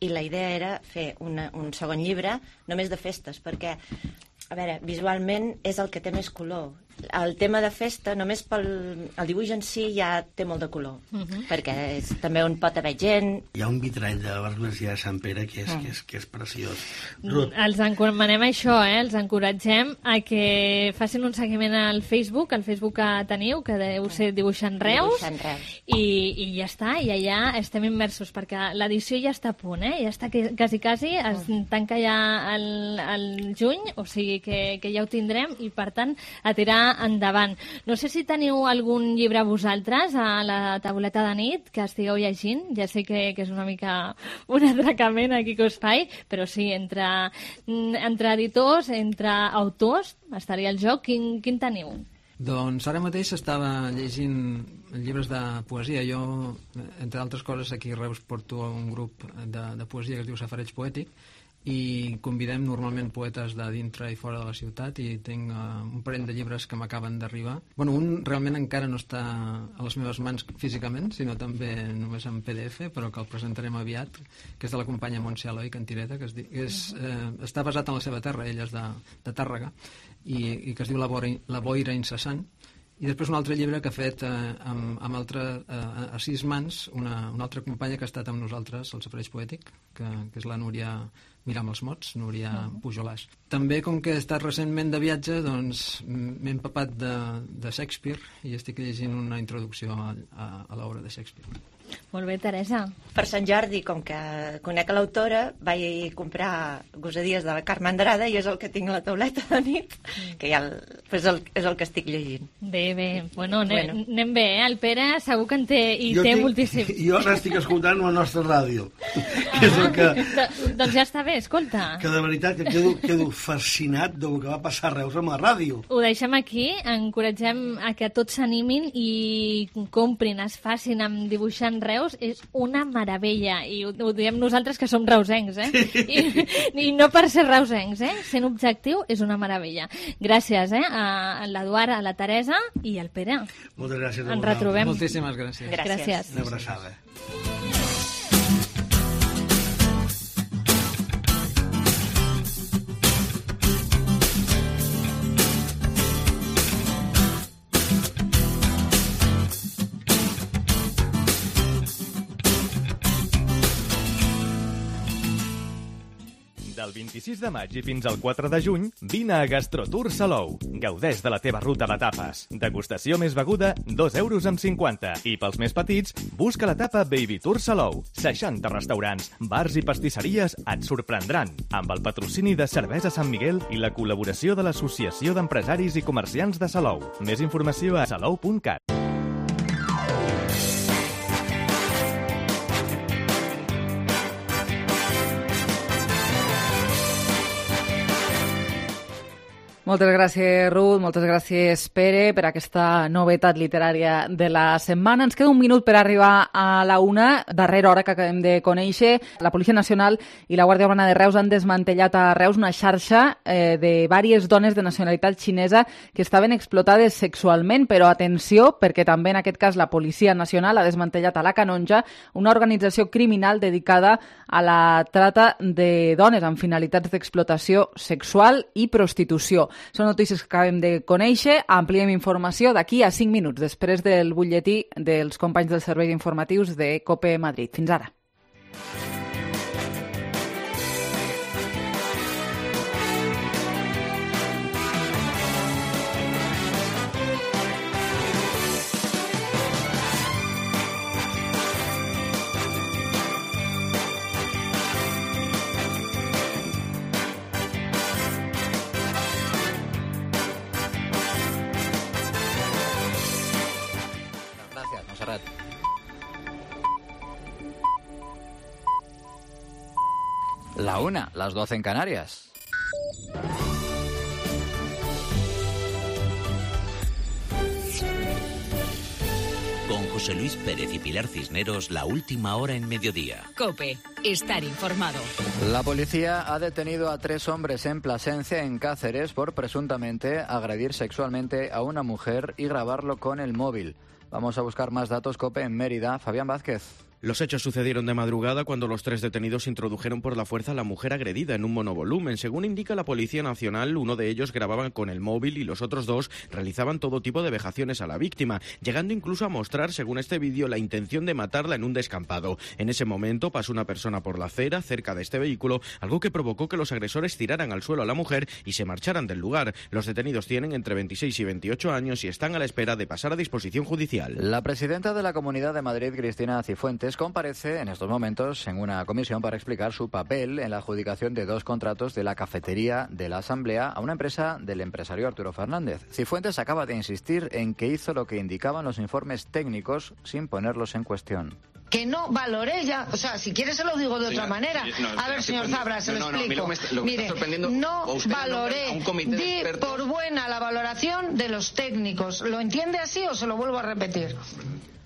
I la idea era fer un segon llibre només de festes, perquè, a veure, visualment és el que té més color. El tema de festa, només el dibuix en si ja té molt de color, perquè és també on pot haver gent. Hi ha un vitrall de l'Església de Sant Pere que és preciós. Els encomanem això, els encoratgem a que facin un seguiment al Facebook que teniu, que deu ser Dibuixant Reus, i ja està, i allà estem immersos, perquè l'edició ja està a punt, ja està quasi, es tanca ja el juny, o sigui que ja ho tindrem, i per tant a tirar endavant. No sé si teniu algun llibre vosaltres a la tauleta de nit que estigueu llegint. Ja sé que és una mica un atracament aquí que us faig, però sí, entre editors, entre autors, estaria el joc. Quin teniu? Doncs ara mateix estava llegint llibres de poesia. Jo, entre altres coses, aquí a Reus porto un grup de poesia que es diu Safareig Poètic, i convidem normalment poetes de dintre i fora de la ciutat, i tinc un parell de llibres que m'acaben d'arribar. Bueno, un realment encara no està a les meves mans físicament, sinó també només en PDF, però que el presentarem aviat, que és de la companya Montse Eloi Cantireta, que està basat en la seva terra, ella és de Tàrrega, i que es diu La boira incessant. I després un altre llibre que ha fet a 6 mans una altra companya que ha estat amb nosaltres al Safareig Poètic, que és la Núria Miram els Mots, Núria Pujolàs. També, com que he estat recentment de viatge, doncs m'he empapat de Shakespeare i estic llegint una introducció a l'obra de Shakespeare. Molt bé, Teresa. Per Sant Jordi, com que conec l'autora, vaig comprar Gosadies de la Carme Andrada i és el que tinc a la tauleta de nit, que ja és el que estic llegint. Bé. Bueno, anem bé, El Pere segur que en té moltíssim. Jo ara estic escoltant la nostra ràdio. Que és el que... Doncs ja està bé, escolta. Que de veritat que quedo fascinat del que va passar a Reus amb la ràdio. Ho deixem aquí, encoratgem a que tots s'animin i comprin, es facin amb Dibuixant Reus, és una meravella, i ho diem nosaltres que som reusencs, I no per ser reusencs, sent objectiu és una meravella. Gràcies a l'Eduard, a la Teresa i al Pere. Moltes gràcies. Ens retrobem. Moltíssimes gràcies. Gràcies. Una abraçada. Del 26 de maig i fins al 4 de juny, vine a Gastrotour Salou. Gaudeix de la teva ruta de tapes. Degustació més beguda, 2,50 €. I pels més petits, busca la tapa Baby Tour Salou. 60 restaurants, bars i pastisseries et sorprendran. Amb el patrocini de Cervesa Sant Miguel i la col·laboració de l'Associació d'Empresaris i Comerciants de Salou. Més informació a salou.cat. Moltes gràcies, Ruth, moltes gràcies, Pere, per aquesta novetat literària de la setmana. Ens queda un minut per arribar a la 1, darrera hora que acabem de conèixer. La Policia Nacional i la Guàrdia Urbana de Reus han desmantellat a Reus una xarxa de diverses dones de nacionalitat xinesa que estaven explotades sexualment, però atenció, perquè també en aquest cas la Policia Nacional ha desmantellat a la Canonja una organització criminal dedicada a la trata de dones amb finalitats d'explotació sexual i prostitució. Són notícies que acabem de conèixer. Ampliem informació d'aquí a 5 minuts, després del butlletí dels companys dels serveis informatius de COPE Madrid. Fins ara. La 1, las 12 en Canarias. Con José Luis Pérez y Pilar Cisneros, la última hora en mediodía. COPE, estar informado. La policía ha detenido a 3 hombres en Plasencia, en Cáceres, por presuntamente agredir sexualmente a una mujer y grabarlo con el móvil. Vamos a buscar más datos. COPE en Mérida. Fabián Vázquez. Los hechos sucedieron de madrugada cuando los 3 detenidos introdujeron por la fuerza a la mujer agredida en un monovolumen. Según indica la Policía Nacional, uno de ellos grababa con el móvil y los otros 2 realizaban todo tipo de vejaciones a la víctima, llegando incluso a mostrar, según este vídeo, la intención de matarla en un descampado. En ese momento pasó una persona por la acera cerca de este vehículo, algo que provocó que los agresores tiraran al suelo a la mujer y se marcharan del lugar. Los detenidos tienen entre 26 y 28 años y están a la espera de pasar a disposición judicial. La presidenta de la Comunidad de Madrid, Cristina Cifuentes, comparece en estos momentos en una comisión para explicar su papel en la adjudicación de 2 contratos de la cafetería de la Asamblea a una empresa del empresario Arturo Fernández. Cifuentes acaba de insistir en que hizo lo que indicaban los informes técnicos sin ponerlos en cuestión. Que no valoré ya, o sea, si quieres se lo digo de otra manera. A ver, señor Fabra, se lo explico. Mire, no valoré, di por buena la valoración de los técnicos. ¿Lo entiende así o se lo vuelvo a repetir?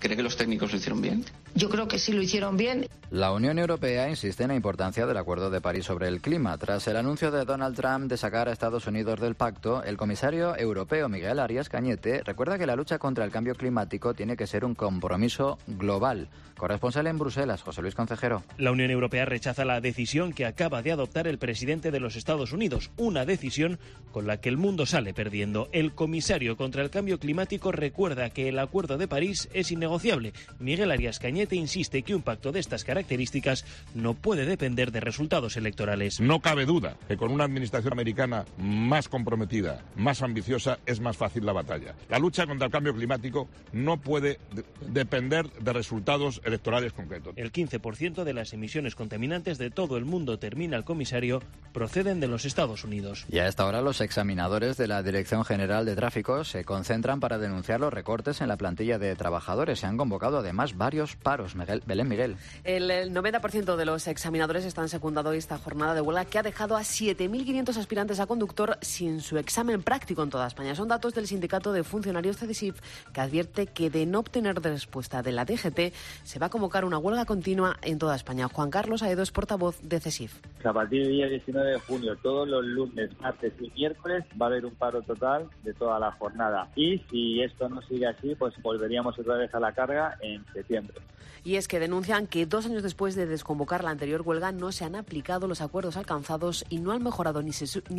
¿Cree que los técnicos lo hicieron bien? Yo creo que sí lo hicieron bien. La Unión Europea insiste en la importancia del Acuerdo de París sobre el clima. Tras el anuncio de Donald Trump de sacar a Estados Unidos del pacto, el comisario europeo Miguel Arias Cañete recuerda que la lucha contra el cambio climático tiene que ser un compromiso global. Corresponsal en Bruselas, José Luis Concejero. La Unión Europea rechaza la decisión que acaba de adoptar el presidente de los Estados Unidos, una decisión con la que el mundo sale perdiendo. El comisario contra el cambio climático recuerda que el Acuerdo de París es innegociable. Miguel Arias Cañete insiste que un pacto de estas características no puede depender de resultados electorales. No cabe duda que con una administración americana más comprometida, más ambiciosa, es más fácil la batalla. La lucha contra el cambio climático no puede depender de resultados electorales concretos. El 15% de las emisiones contaminantes de todo el mundo, termina el comisario, proceden de los Estados Unidos. Y a esta hora los examinadores de la Dirección General de Tráfico se concentran para denunciar los recortes en la plantilla de trabajadores. Se han convocado además varios paros. Belén Miguel. El 90% de los examinadores están secundando esta jornada de huelga que ha dejado a 7.500 aspirantes a conductor sin su examen práctico en toda España. Son datos del sindicato de funcionarios CEDISIF, que advierte que de no obtener respuesta de la DGT se va a convocar una huelga continua en toda España. Juan Carlos Aedo es portavoz de CESIF. A partir del día 19 de junio, todos los lunes, martes y miércoles va a haber un paro total de toda la jornada. Y si esto no sigue así, pues volveríamos otra vez a la carga en septiembre. Y es que denuncian que 2 años después de desconvocar la anterior huelga no se han aplicado los acuerdos alcanzados y no han mejorado ni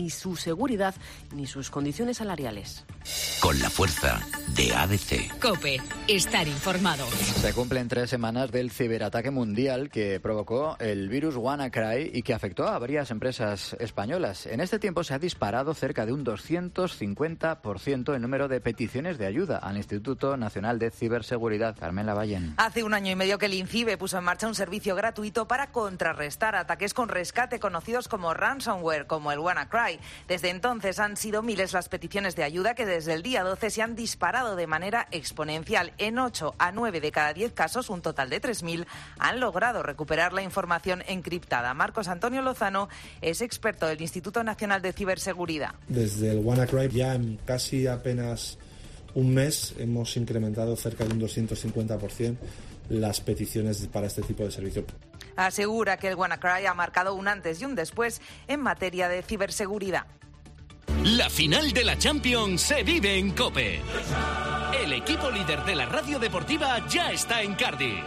su seguridad ni sus condiciones salariales. Con la fuerza de ADC. COPE, estar informado. Se cumplen 3 semanas del ciberataque mundial que provocó el virus WannaCry y que afectó a varias empresas españolas. En este tiempo se ha disparado cerca de un 250% el número de peticiones de ayuda al Instituto Nacional de Ciberseguridad. Carmen Lavallén. Hace 1 año y medio que el INCIBE puso en marcha un servicio gratuito para contrarrestar ataques con rescate conocidos como ransomware, como el WannaCry. Desde entonces han sido miles las peticiones de ayuda que desde el día 12 se han disparado de manera exponencial. En 8 a 9 de cada 10 casos, un total de 3.000, han logrado recuperar la información encriptada. Marcos Antonio Lozano es experto del Instituto Nacional de Ciberseguridad. Desde el WannaCry ya en casi apenas un mes hemos incrementado cerca de un 250% las peticiones para este tipo de servicio. Asegura que el WannaCry ha marcado un antes y un después en materia de ciberseguridad. La final de la Champions se vive en COPE. El equipo líder de la radio deportiva ya está en Cardiff.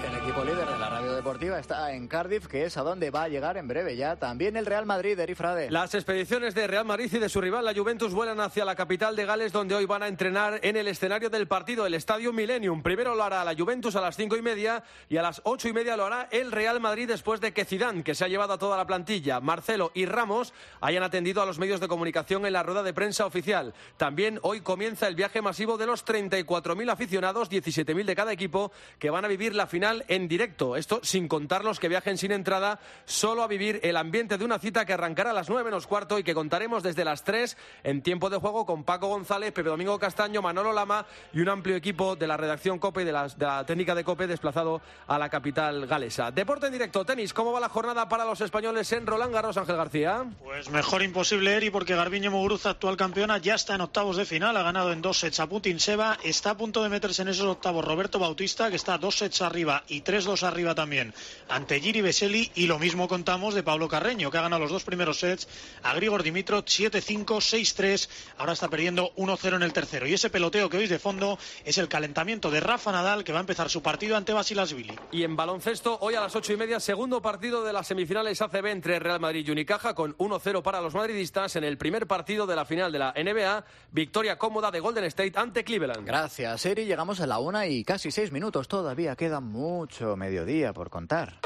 El equipo líder de la radio deportiva está en Cardiff, que es a donde va a llegar en breve ya también el Real Madrid, Eri Frade. Las expediciones de Real Madrid y de su rival, la Juventus, vuelan hacia la capital de Gales, donde hoy van a entrenar en el escenario del partido, el Estadio Millennium. Primero lo hará la Juventus a las 5:30 y a las 8:30 lo hará el Real Madrid, después de que Zidane, que se ha llevado a toda la plantilla, Marcelo y Ramos, hayan atendido a los medios de comunicación en la rueda de prensa oficial. También hoy comienza el viaje masivo de los 34.000 aficionados, 17.000 de cada equipo, que van a vivir la final en directo. Esto sin contar los que viajen sin entrada, solo a vivir el ambiente de una cita que arrancará a las 9:15 y que contaremos desde las 3 en tiempo de juego con Paco González, Pepe Domingo Castaño, Manolo Lama y un amplio equipo de la redacción COPE y de la técnica de COPE desplazado a la capital galesa. Deporte en directo, tenis. ¿Cómo va la jornada para los españoles en Roland Garros, Ángel García? Pues mejor imposible, Eri, porque Garbiñe Muguruza, actual campeona, ya está en octavos de final. Ha ganado en 2 sets a Putintseva. Está a punto de meterse en esos octavos Roberto Bautista, que está 2 sets arriba y 3-2 arriba también ante Giri Veseli, y lo mismo contamos de Pablo Carreño, que ha ganado los 2 primeros sets a Grigor Dimitrov 7-5, 6-3, ahora está perdiendo 1-0 en el tercero, y ese peloteo que oís de fondo es el calentamiento de Rafa Nadal, que va a empezar su partido ante Basilashvili. Y en baloncesto, hoy a las 8:30, segundo partido de las semifinales ACB entre Real Madrid y Unicaja, con 1-0 para los madridistas en el primer partido de la final de la NBA, victoria cómoda de Golden State ante Cleveland. Gracias, Eri. Llegamos a la 1 y casi 6 minutos, todavía queda mucho mediodía por contar.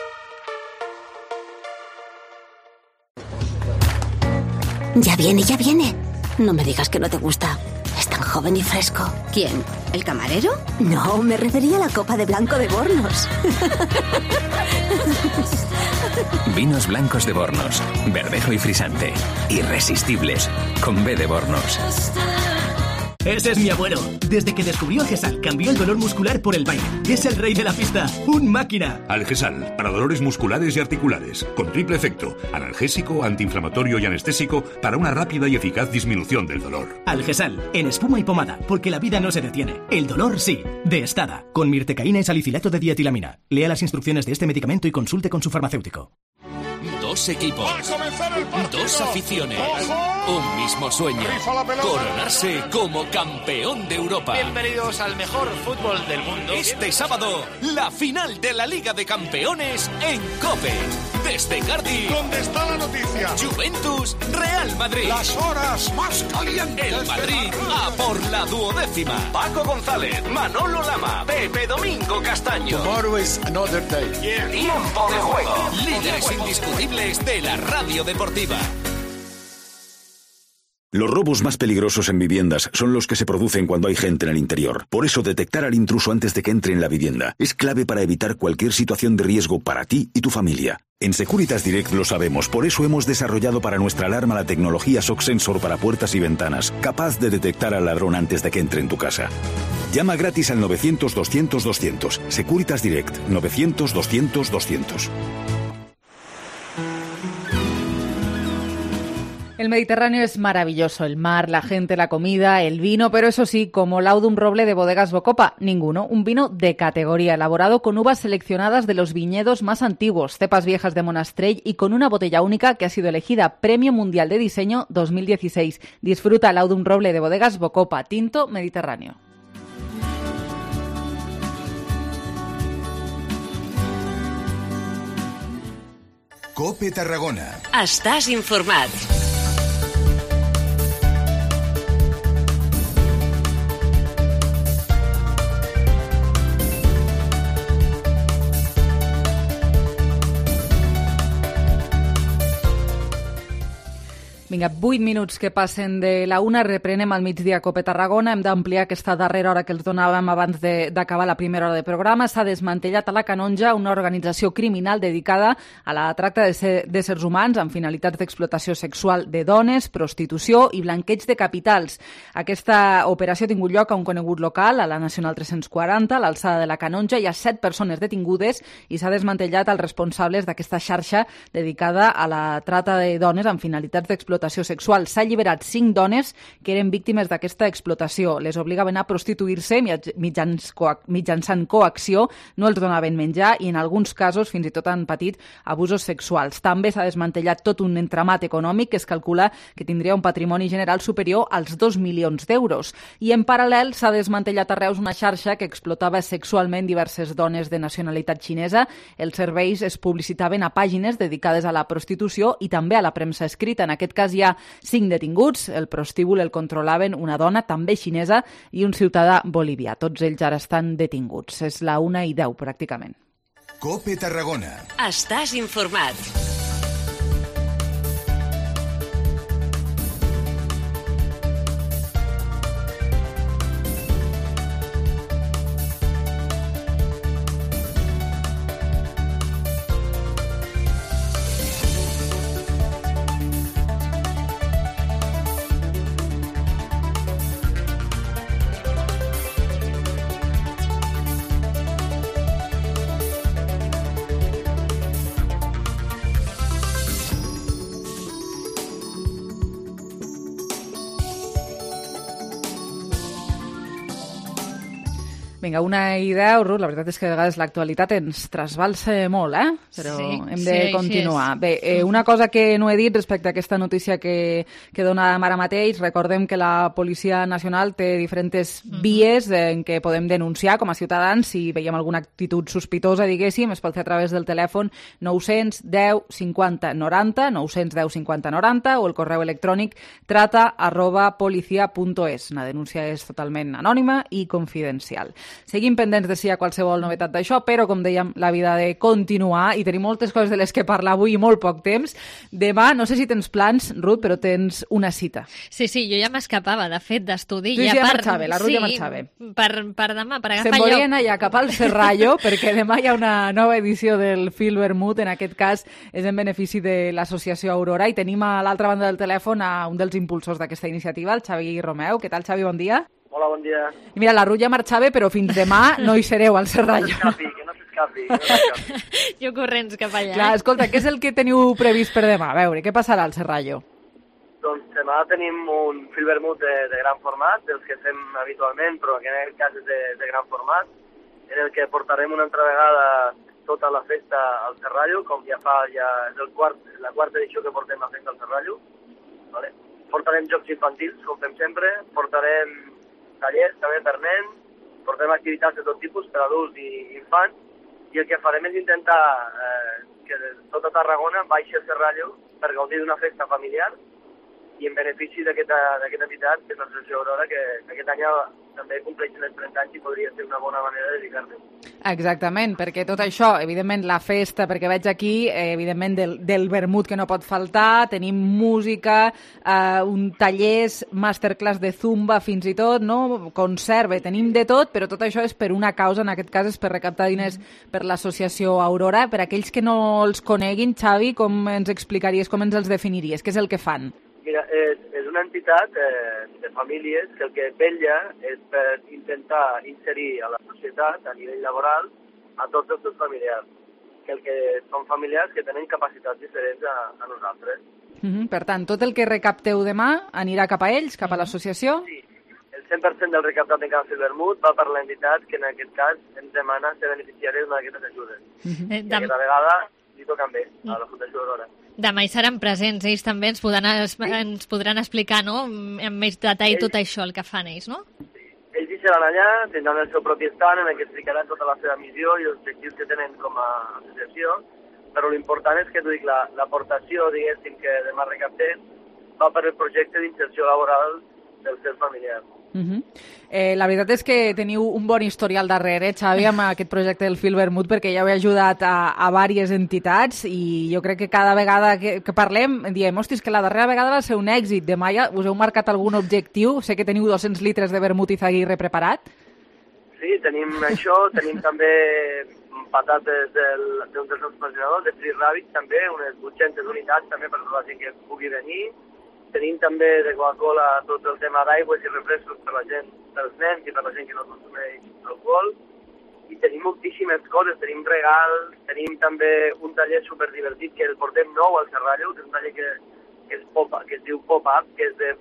Ya viene, ya viene. No me digas que no te gusta. Es tan joven y fresco. ¿Quién? ¿El camarero? No, me refería a la copa de blanco de Bornos. Vinos blancos de Bornos, verdejo y frisante. Irresistibles, con B de Bornos. Ese es mi abuelo. Desde que descubrió Algesal, cambió el dolor muscular por el baile. Es el rey de la pista. ¡Un máquina! Algesal, para dolores musculares y articulares. Con triple efecto. Analgésico, antiinflamatorio y anestésico para una rápida y eficaz disminución del dolor. Algesal, en espuma y pomada, porque la vida no se detiene. El dolor sí. De Estada, con mirtecaína y salicilato de dietilamina. Lea las instrucciones de este medicamento y consulte con su farmacéutico. 2 equipos, 2 aficiones, un mismo sueño, coronarse como campeón de Europa. Bienvenidos al mejor fútbol del mundo. Este sábado, la final de la Liga de Campeones en COPE. Desde Cardiff, ¿dónde está la noticia? Juventus, Real Madrid. Las horas más calientes. El Madrid a por la 12ª. Paco González, Manolo Lama, Pepe Domingo Castaño. Tomorrow is another day. Tiempo de juego. Líderes indiscutibles de la radio deportiva. Los robos más peligrosos en viviendas son los que se producen cuando hay gente en el interior. Por eso, detectar al intruso antes de que entre en la vivienda es clave para evitar cualquier situación de riesgo para ti y tu familia. En Securitas Direct lo sabemos, por eso hemos desarrollado para nuestra alarma la tecnología Shock Sensor para puertas y ventanas, capaz de detectar al ladrón antes de que entre en tu casa. Llama gratis al 900-200-200. Securitas Direct, 900-200-200. El Mediterráneo es maravilloso, el mar, la gente, la comida, el vino, pero eso sí, como Laudum Roble de Bodegas Bocopa, ninguno. Un vino de categoría, elaborado con uvas seleccionadas de los viñedos más antiguos, cepas viejas de Monastrell y con una botella única que ha sido elegida Premio Mundial de Diseño 2016. Disfruta Laudum Roble de Bodegas Bocopa, tinto Mediterráneo. COPE Tarragona. Estàs informat. Vinga, 8 minuts que passen de la 1, reprenem al migdia COPE Tarragona. Hem d'ampliar aquesta darrera hora que els donàvem abans d'acabar la primera hora de programa. S'ha desmantellat a la Canonja una organització criminal dedicada a la tracta d'éssers humans amb finalitats d'explotació sexual de dones, prostitució i blanqueig de capitals. Aquesta operació ha tingut lloc a un conegut local, a la Nacional 340, a l'alçada de la Canonja. Hi ha 7 persones detingudes i s'ha desmantellat els responsables d'aquesta xarxa dedicada a la tracta de dones amb finalitats d'explotació d'explotació sexual. S'ha alliberat 5 dones que eren víctimes d'aquesta explotació. Les obligaven a prostituir-se mitjançant coacció, no els donaven menjar i en alguns casos fins i tot han patit abusos sexuals. També s'ha desmantellat tot un entramat econòmic que es calcula que tindria un patrimoni general superior als 2 milions d'euros. I en paral·lel s'ha desmantellat a Reus una xarxa que explotava sexualment diverses dones de nacionalitat xinesa. Els serveis es publicitaven a pàgines dedicades a la prostitució i també a la premsa escrita. En aquest cas hi ha 5 detinguts. El prostíbul el controlaven una dona, també xinesa, i un ciutadà bolivià. Tots ells ara estan detinguts. És la 1:10, pràcticament. COPE Tarragona. Estàs informat. Vinga, 1:10, Ruth, la veritat és que a vegades l'actualitat ens trasbalsa molt, però sí, hem de continuar. Bé, una cosa que no he dit respecte a aquesta notícia que donàvem ara mateix, recordem que la Policia Nacional té diferents vies en què podem denunciar com a ciutadans si veiem alguna actitud sospitosa, diguéssim, es pot fer a través del telèfon 910 50 90, 910 50 90 o el correu electrònic trata@policia.es. La denúncia és totalment anònima i confidencial. Seguim pendents de si hi ha qualsevol novetat d'això, però, com dèiem, la vida ha de continuar i tenim moltes coses de les que parlar avui i molt poc temps. Demà, no sé si tens plans, Ruth, però tens una cita. Sí, jo ja m'escapava, de fet, d'estudi. Tu ja marxava, la Ruth ja marxava. Per demà, per agafar Se'n volia anar ja cap al Serrallo, perquè demà hi ha una nova edició del Fil Vermut, en aquest cas és en benefici de l'associació Aurora, i tenim a l'altra banda del telèfon a un dels impulsors d'aquesta iniciativa, el Xavi Romeu. Què tal, Xavi? Bon dia. Hola, bon dia. I mira, la Ruth ja marxava, però fins demà no hi sereu al Serrallo. Que no s'escapi. Jo corrents cap allà. Clar, escolta, què és el que teniu previst per demà? A veure, què passarà al Serrallo? Doncs demà tenim un Fil Vermut de gran format, dels que fem habitualment, però que en aquest cas és de gran format, en el que portarem una altra vegada tota la festa al Serrallo, com ja és la quarta edició que portem la festa al Serrallo. Vale? Portarem jocs infantils, com fem sempre, portarem tallers també per nens, portem activitats de tot tipus per adults i infants, i el que farem és intentar que tota Tarragona baixi al Serrallo per gaudir d'una festa familiar i en benefici d'aquesta entitat, que és l'Associació Aurora, que aquest any també compleixen els 30 anys i podria ser una bona manera de dedicar-nos. Exactament, perquè tot això, evidentment la festa, perquè veig aquí, evidentment del vermut que no pot faltar, tenim música, un tallers, masterclass de zumba fins i tot, no? Concert, tenim de tot, però tot això és per una causa, en aquest cas és per recaptar diners per l'associació Aurora. Per aquells que no els coneguin, Xavi, com ens explicaries, com ens els definiries? Què és el que fan? Mira, és una entitat de famílies que el que vetlla és per intentar inserir a la societat, a nivell laboral, a tots els seus familiars. Que són familiars que tenen capacitats diferents a nosaltres. Per tant, tot el que recapteu demà anirà cap a ells, cap a l'associació? Sí, el 100% del recaptat en Can Fil Vermut va per l'entitat que en aquest cas ens demana ser beneficiària d'una d'aquestes ajudes. I aquesta vegada li toca a ells, a la Fundació Aurora. Demà hi seran presents, ells també ens podran explicar, no?, amb més detall tot això, el que fan ells, no? Sí. Ells hi seran allà, tindran el seu propi estant en què explicaran tota la seva missió i els objectius que tenen com a associació, però l'important és que l'aportació, diguéssim, que demà recaptem va per el projecte d'inserció laboral dels seus familiars. La veritat és que teniu un bon historial darrere, Xavi, amb aquest projecte del Fil Vermut, perquè ja heu ajudat a diverses entitats i jo crec que cada vegada que parlem diem, hòstia, que la darrera vegada va ser un èxit. Demà ja us heu marcat algun objectiu? Sé que teniu 200 litres de vermut i zaguirre preparat. Sí, tenim això, tenim també patates d'un dels nostres patrocinadors, de Free Rabbit també, unes 800 unitats també per la gent que pugui venir. Tenim també de Coca-Cola tot el tema d'aigües i refrescos per la gent, pels nens i per la gent que no consumeix alcohol. I tenim moltíssimes coses, tenim regals, tenim també un taller superdivertit que el portem nou al Serrallo, que és un taller que que es diu Pop-Up, que és de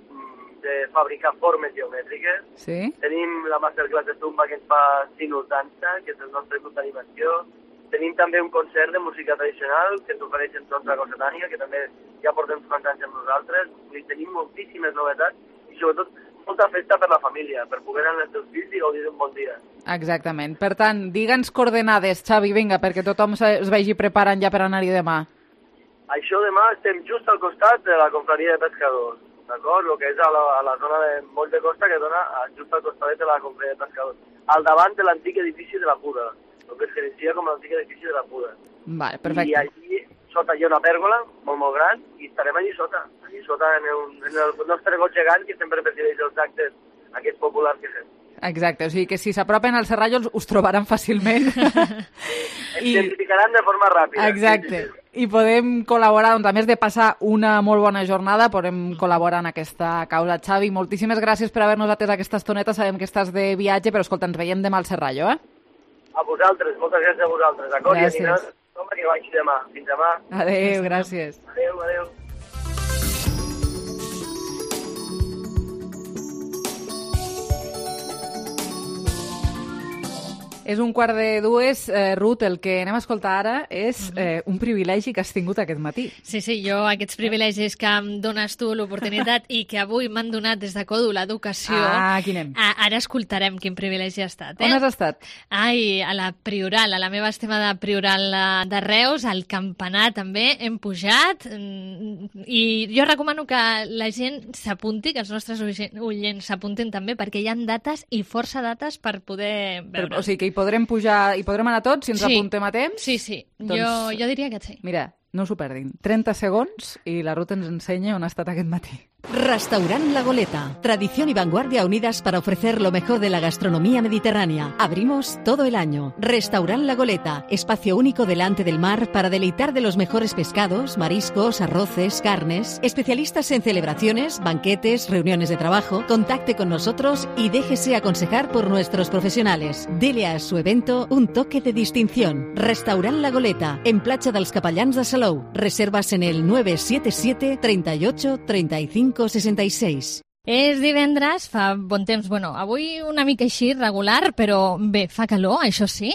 fabricar formes geomètriques. Sí. Tenim la masterclass de Zumba que ens fa Sinus Dansa, que és el nostre club d'animació. Tenim també un concert de música tradicional que ens ofereix en Sontra Cossetània, que també ja portem uns quants anys amb nosaltres. Tenim moltíssimes novetats i sobretot molta festa per la família, per poder anar als teus fills i gaudir d'un bon dia. Exactament. Per tant, digue'ns coordenades, Xavi, vinga, perquè tothom es vagi preparant ja per anar-hi demà. Això demà estem just al costat de la confraria de pescadors, d'acord? El que és a la zona de Moll de Costa, que dona just al costat de la confraria de pescadors, al davant de l'antic edifici de la Puda, el que es coneixia com l'antic edifici de la Puda. Vale, perfecte. I allí sota hi ha una pèrgola molt, molt gran i estarem allí sota en el nostre got gegant que sempre presideix els actes aquests populars que fem. Exacte, o sigui que si s'apropen al Serrallo us trobaran fàcilment. Ens identificaran de forma ràpida. Exacte. I podem col·laborar, doncs, a més de passar una molt bona jornada, podem col·laborar en aquesta causa. Xavi, moltíssimes gràcies per haver-nos atès aquesta estoneta. Sabem que estàs de viatge, però escolta, ens veiem demà al Serrallo, eh? A vosaltres, moltes gràcies a vosaltres, d'acord? Gràcies. I anirà que vagi demà. Fins demà. Adéu, gràcies. Adéu. És 1:45, Ruth, el que anem a escoltar ara és un privilegi que has tingut aquest matí. Sí, jo aquests privilegis que em dones tu l'oportunitat i que avui m'han donat des de Codo l'educació. Aquí anem. Ara escoltarem quin privilegi ha estat. On has estat? Ai, a la Prioral, a la meva estimada Prioral de Reus, al campanar també, hem pujat i jo recomano que la gent s'apunti, que els nostres oients s'apuntin també, perquè hi ha dates i força dates per poder veure. O sigui que hi podrem pujar, hi podrem anar tots si ens apuntem a temps? Sí. Doncs, jo diria que sí. Mira, no s'ho perdin. 30 segons i la Ruth ens ensenya on ha estat aquest matí. Restaurant La Goleta. Tradición y vanguardia unidas para ofrecer lo mejor de la gastronomía mediterránea. Abrimos todo el año. Restaurant La Goleta. Espacio único delante del mar para deleitar de los mejores pescados, mariscos, arroces, carnes. Especialistas en celebraciones, banquetes, reuniones de trabajo. Contacte con nosotros y déjese aconsejar por nuestros profesionales. Dele a su evento un toque de distinción. Restaurant La Goleta. En Platja dels Capellans de Salou. Reservas en el 977 38 35 66. És divendres, fa bon temps, avui una mica així, regular, però bé, fa calor, això sí,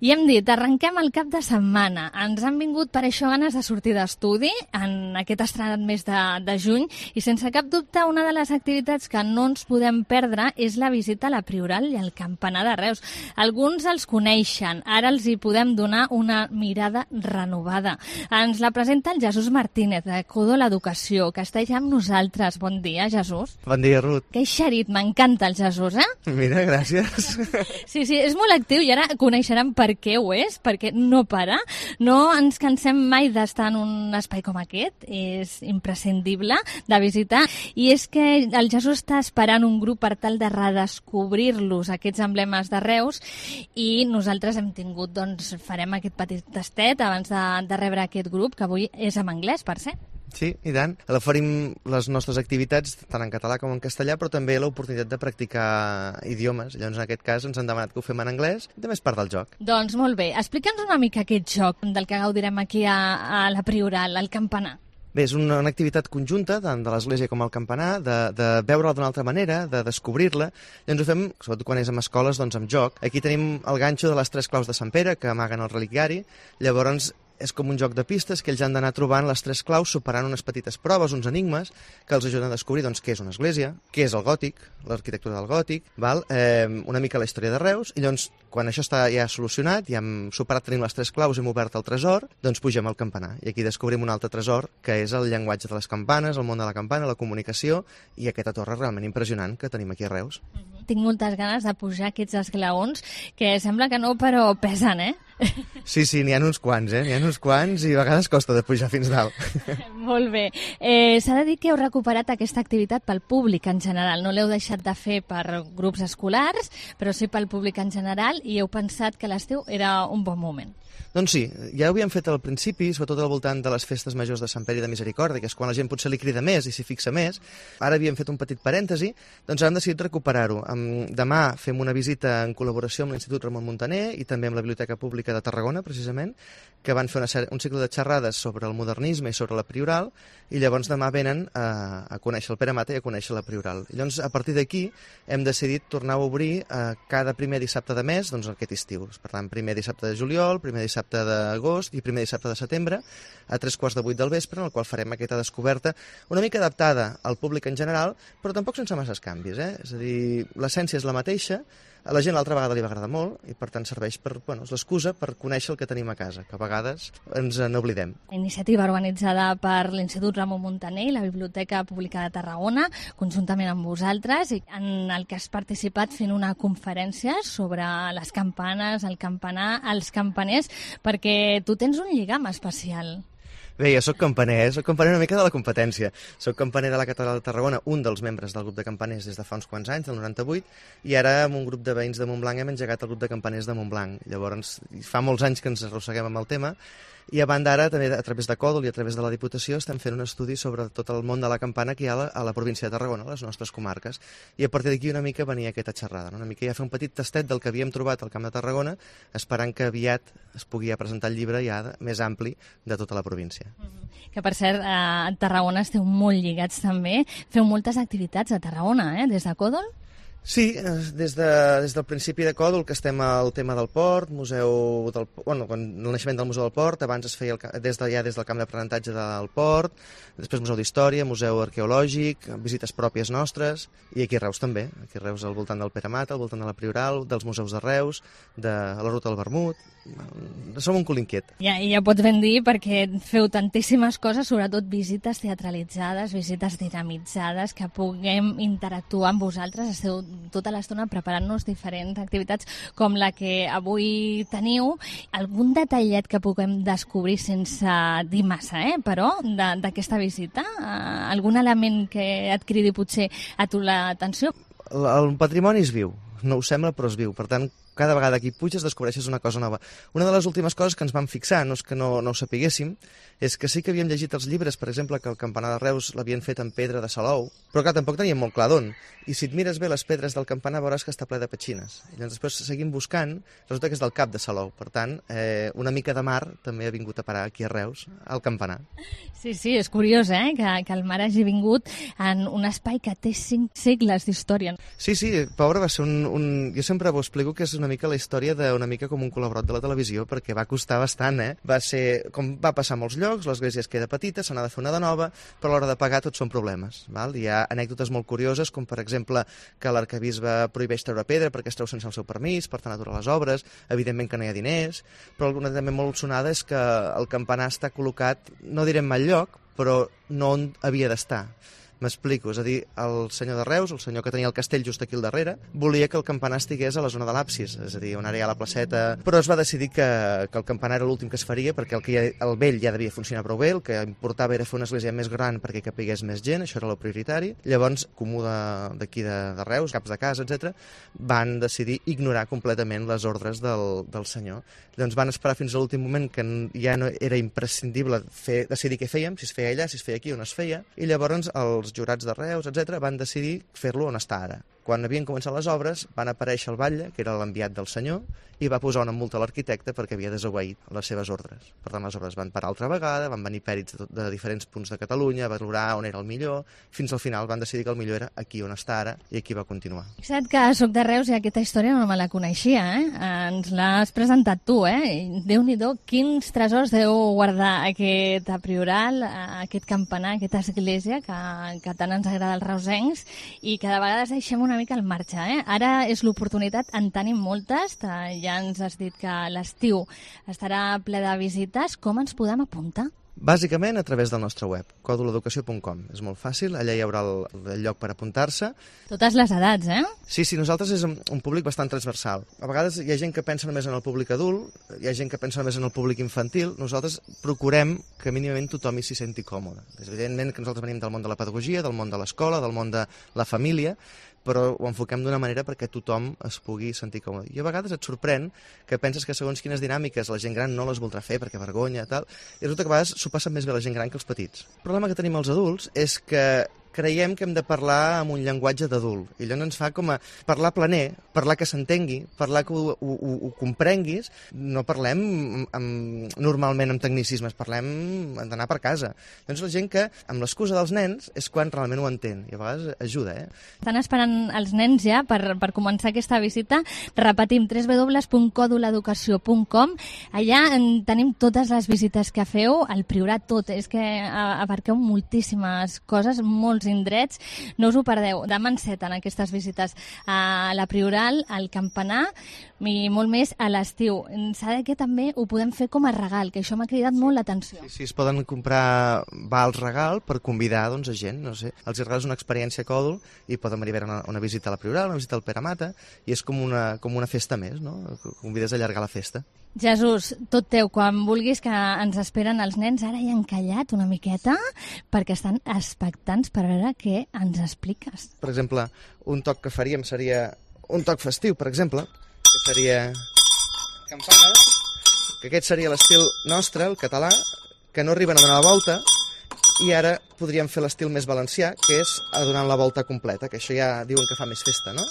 i hem dit, arrenquem el cap de setmana. Ens han vingut per això ganes de sortir d'estudi en aquest estrenat mes de juny, i sense cap dubte una de les activitats que no ens podem perdre és la visita a la Prioral i al campanar de Reus. Alguns els coneixen, ara els hi podem donar una mirada renovada. Ens la presenta el Jesús Martínez, de Codo l'Educació, que està ja amb nosaltres. Bon dia, Jesús. Bon dia, Ruth. Que eixerit, m'encanta el Jesús, eh? Mira, gràcies. Sí, és molt actiu i ara coneixeran per què ho és, perquè no para. No ens cansem mai d'estar en un espai com aquest, és imprescindible de visitar. I és que el Jesús està esperant un grup per tal de redescobrir-los, aquests emblemes de Reus, i nosaltres hem tingut, farem aquest petit tastet abans de rebre aquest grup, que avui és en anglès, per ser. Sí, i tant. Oferim les nostres activitats tant en català com en castellà, però també l'oportunitat de practicar idiomes. Llavors, en aquest cas, ens han demanat que ho fem en anglès, i també és part del joc. Doncs molt bé. Explica'ns una mica aquest joc del que gaudirem aquí a la Prioral, al campanar. Bé, és una activitat conjunta, tant de l'església com el campanar, de veure-la d'una altra manera, de descobrir-la. Llavors ho fem, sobretot quan és en escoles, amb joc. Aquí tenim el ganxo de les 3 claus de Sant Pere, que amaguen el reliquiari. Llavors, és com un joc de pistes que ells han d'anar trobant les 3 claus, superant unes petites proves, uns enigmes, que els ajuden a descobrir què és una església, què és el gòtic, l'arquitectura del gòtic, una mica la història de Reus, i llavors, quan això està ja solucionat, ja hem superat, tenim les 3 claus, hem obert el tresor, doncs pugem al campanar. I aquí descobrim un altre tresor, que és el llenguatge de les campanes, el món de la campana, la comunicació, i aquesta torre realment impressionant que tenim aquí a Reus. Tinc moltes ganes de pujar aquests esglaons, que sembla que no, però pesen, eh? Sí, n'hi ha uns quants, N'hi ha uns quants i a vegades costa de pujar fins dalt. Molt bé. S'ha de dir que heu recuperat aquesta activitat pel públic en general. No l'heu deixat de fer per grups escolars, però sí pel públic en general, i heu pensat que l'estiu era un bon moment. Doncs sí, ja ho havíem fet al principi, sobretot al voltant de les festes majors de Sant Pere i de Misericòrdia, que és quan la gent potser li crida més i s'hi fixa més. Ara havíem fet un petit parèntesi, doncs ara hem decidit recuperar-ho. Demà fem una visita en col·laboració amb l'Institut Ramon Muntaner i també amb la Biblioteca Pública de Tarragona, precisament, que van fer un cicle de xerrades sobre el modernisme i sobre la Prioral, i llavors demà venen a conèixer el Pere Mata i a conèixer la Prioral. I llavors, a partir d'aquí, hem decidit tornar a obrir cada primer dissabte de mes, doncs aquest estiu. Per tant, primer dissabte de juliol, primer dissabte d'agost i primer dissabte de setembre, a 7:45 del vespre, en el qual farem aquesta descoberta una mica adaptada al públic en general, però tampoc sense masses canvis, És a dir, l'essència és la mateixa, a la gent l'altra vegada li va agradar molt i per tant serveix és l'excusa per conèixer el que tenim a casa, que a vegades ens n'oblidem. Iniciativa organitzada per l'Institut Ramon Muntaner i la Biblioteca Pública de Tarragona, conjuntament amb vosaltres, i en el que has participat fent una conferència sobre les campanes, el campanar, els campaners, perquè tu tens un lligam especial. Bé, jo soc campaner una mica de la competència. Soc campaner de la Catedral de Tarragona, un dels membres del grup de campaners des de fa uns quants anys, del 98, i ara amb un grup de veïns de Montblanc hem engegat el grup de campaners de Montblanc. Llavors, fa molts anys que ens arrosseguem amb el tema, i a banda ara, també a través de Còdol i a través de la Diputació, estem fent un estudi sobre tot el món de la campana que hi ha a la província de Tarragona, a les nostres comarques. I a partir d'aquí una mica venia aquesta xerrada, una mica ja fer un petit tastet del que havíem trobat al Camp de Tarragona, esperant que aviat es pugui presentar el llibre ja més ampli de tota la província. Que, per cert, a Tarragona esteu molt lligats també. Feu moltes activitats a Tarragona, des de Còdol? Sí, des del principi de Còdol, que estem al tema del port, el naixement del Museu del Port, abans es feia des del camp d'aprenentatge del port, després Museu d'Història, Museu Arqueològic, visites pròpies nostres, i aquí a Reus també, aquí a Reus al voltant del Pere Mata, al voltant de la Prioral, dels museus de Reus, de la Ruta del Vermut. Som un cul inquiet. Ja pots ben dir, perquè feu tantíssimes coses, sobretot visites teatralitzades, visites dinamitzades, que puguem interactuar amb vosaltres. Esteu tota l'estona preparant-nos diferents activitats com la que avui teniu. Algun detallet que puguem descobrir sense dir massa, però, d'aquesta visita? Algun element que et cridi potser a tu l'atenció? El patrimoni és viu, no ho sembla però és viu, per tant cada vegada que hi puges descobreixes una cosa nova. Una de les últimes coses que ens vam fixar, no és que no ho sapiguéssim, és que sí que havíem llegit els llibres, per exemple, que el campanar de Reus l'havien fet en pedra de Salou, però clar, tampoc teníem molt clar d'on. I si et mires bé les pedres del campanar veuràs que està ple de petxines. I llavors després seguim buscant, resulta que és del Cap de Salou. Per tant, una mica de mar també ha vingut a parar aquí a Reus, al campanar. Sí, és curiós, que el mar hagi vingut en un espai que té 5 segles d'història. Sí, pobre, va ser jo sempre ho explico que és una mica la història d'una mica com un col·laborat de la televisió, perquè va costar bastant, Va ser, com va passar a molts llocs, l'església es queda petita, se n'ha de fer una de nova, però a l'hora de pagar tots són problemes. Hi ha anècdotes molt curioses, com per exemple que l'arquebisbe prohibeix treure pedra perquè es treu sense el seu permís, per tant aturar les obres, evidentment que no hi ha diners, però alguna també molt sonada és que el campanar està col·locat, no direm mal lloc, però no on havia d'estar. M'explico, és a dir, el senyor de Reus, el senyor que tenia el castell just aquí al darrere, volia que el campanar estigués a la zona de l'absis, és a dir, on ara hi ha la placeta, però es va decidir que el campanar era l'últim que es faria perquè el vell ja devia funcionar prou bé, el que importava era fer una església més gran perquè capigués més gent, això era el prioritari. Llavors, comú d'aquí de Reus, caps de casa, etc., van decidir ignorar completament les ordres del senyor. Llavors van esperar fins a l'últim moment que ja no era imprescindible decidir què fèiem, si es feia allà, si es feia aquí o no es feia, i llavors els jurats de Reus, etc., van decidir fer-lo on està ara. Quan havien començat les obres, van aparèixer el batlle, que era l'enviat del senyor, i va posar una multa a l'arquitecte perquè havia desobeït les seves ordres. Per tant, les obres van parar altra vegada, van venir pèrits de diferents punts de Catalunya, va valorar on era el millor, fins al final van decidir que el millor era aquí on està ara, i aquí va continuar. Fixa't que soc de Reus i aquesta història no me la coneixia, Ens l'has presentat tu, Déu-n'hi-do, quins tresors deu guardar aquest prioral, aquest campanar, aquesta església que tant ens agrada als reusencs i que de vegades deixem una mica al marge, Ara és l'oportunitat, en tenim moltes, ja ens has dit que l'estiu estarà ple de visites. Com ens podem apuntar? Bàsicament a través del nostre web, codoloeducació.com. És molt fàcil, allà hi haurà el lloc per apuntar-se. Totes les edats, Sí, nosaltres és un públic bastant transversal. A vegades hi ha gent que pensa només en el públic adult, hi ha gent que pensa només en el públic infantil. Nosaltres procurem que mínimament tothom s'hi senti còmode. És evidentment que nosaltres venim del món de la pedagogia, del món de l'escola, del món de la família, però ho enfoquem d'una manera perquè tothom es pugui sentir còmode. I a vegades et sorprèn que penses que segons quines dinàmiques la gent gran no les voldrà fer perquè vergonya, tal, i resulta que a vegades s'ho passen més bé la gent gran que els petits. El problema que tenim els adults és que creiem que hem de parlar amb un llenguatge d'adult, i allò ens fa com a parlar planer, parlar que s'entengui, parlar que ho comprenguis. No parlem normalment amb tecnicismes, parlem d'anar per casa. Doncs la gent que, amb l'excusa dels nens, és quan realment ho entén, i a vegades ajuda, Estan esperant els nens ja per començar aquesta visita. Repetim, www.coduleducació.com. Allà tenim totes les visites que feu, el Priorat tot, és que abarqueu moltíssimes coses, molts indrets, no us ho perdeu. Demà enceten aquestes visites a la Prioral, al Campanar, i molt més a l'estiu. S'ha de que també ho podem fer com a regal, que això m'ha cridat molt l'atenció. Sí, es poden comprar vals regal per convidar a gent, no sé. Els regals una experiència còdul i poden venir a una visita a la Prioral, una visita al Pere Mata, i és com una festa més, no? Convides a allargar la festa. Jesús, tot teu, quan vulguis, que ens esperen els nens. Ara ja han callat una miqueta perquè estan expectants per veure què ens expliques. Per exemple, un toc que faríem seria un toc festiu, per exemple, que seria campanes, que aquest seria l'estil nostre, el català, que no arriben a donar la volta, i ara podríem fer l'estil més valencià, que és a donar la volta completa, que això ja diuen que fa més festa, no?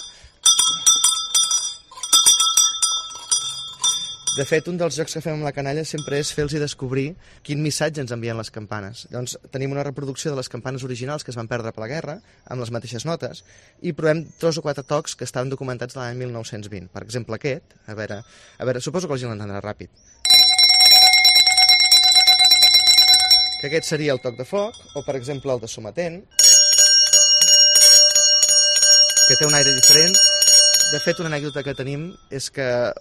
De fet, un dels jocs que fem amb la canalla sempre és fer-los descobrir quin missatge ens envien les campanes. Llavors, tenim una reproducció de les campanes originals que es van perdre per la guerra, amb les mateixes notes, i provem 3 o 4 tocs que estaven documentats l'any 1920. Per exemple, aquest, a veure, suposo que la gent l'entendrà ràpid. Que aquest seria el toc de foc, o per exemple el de sometent, que té un aire diferent. De fet, una anècdota que tenim és que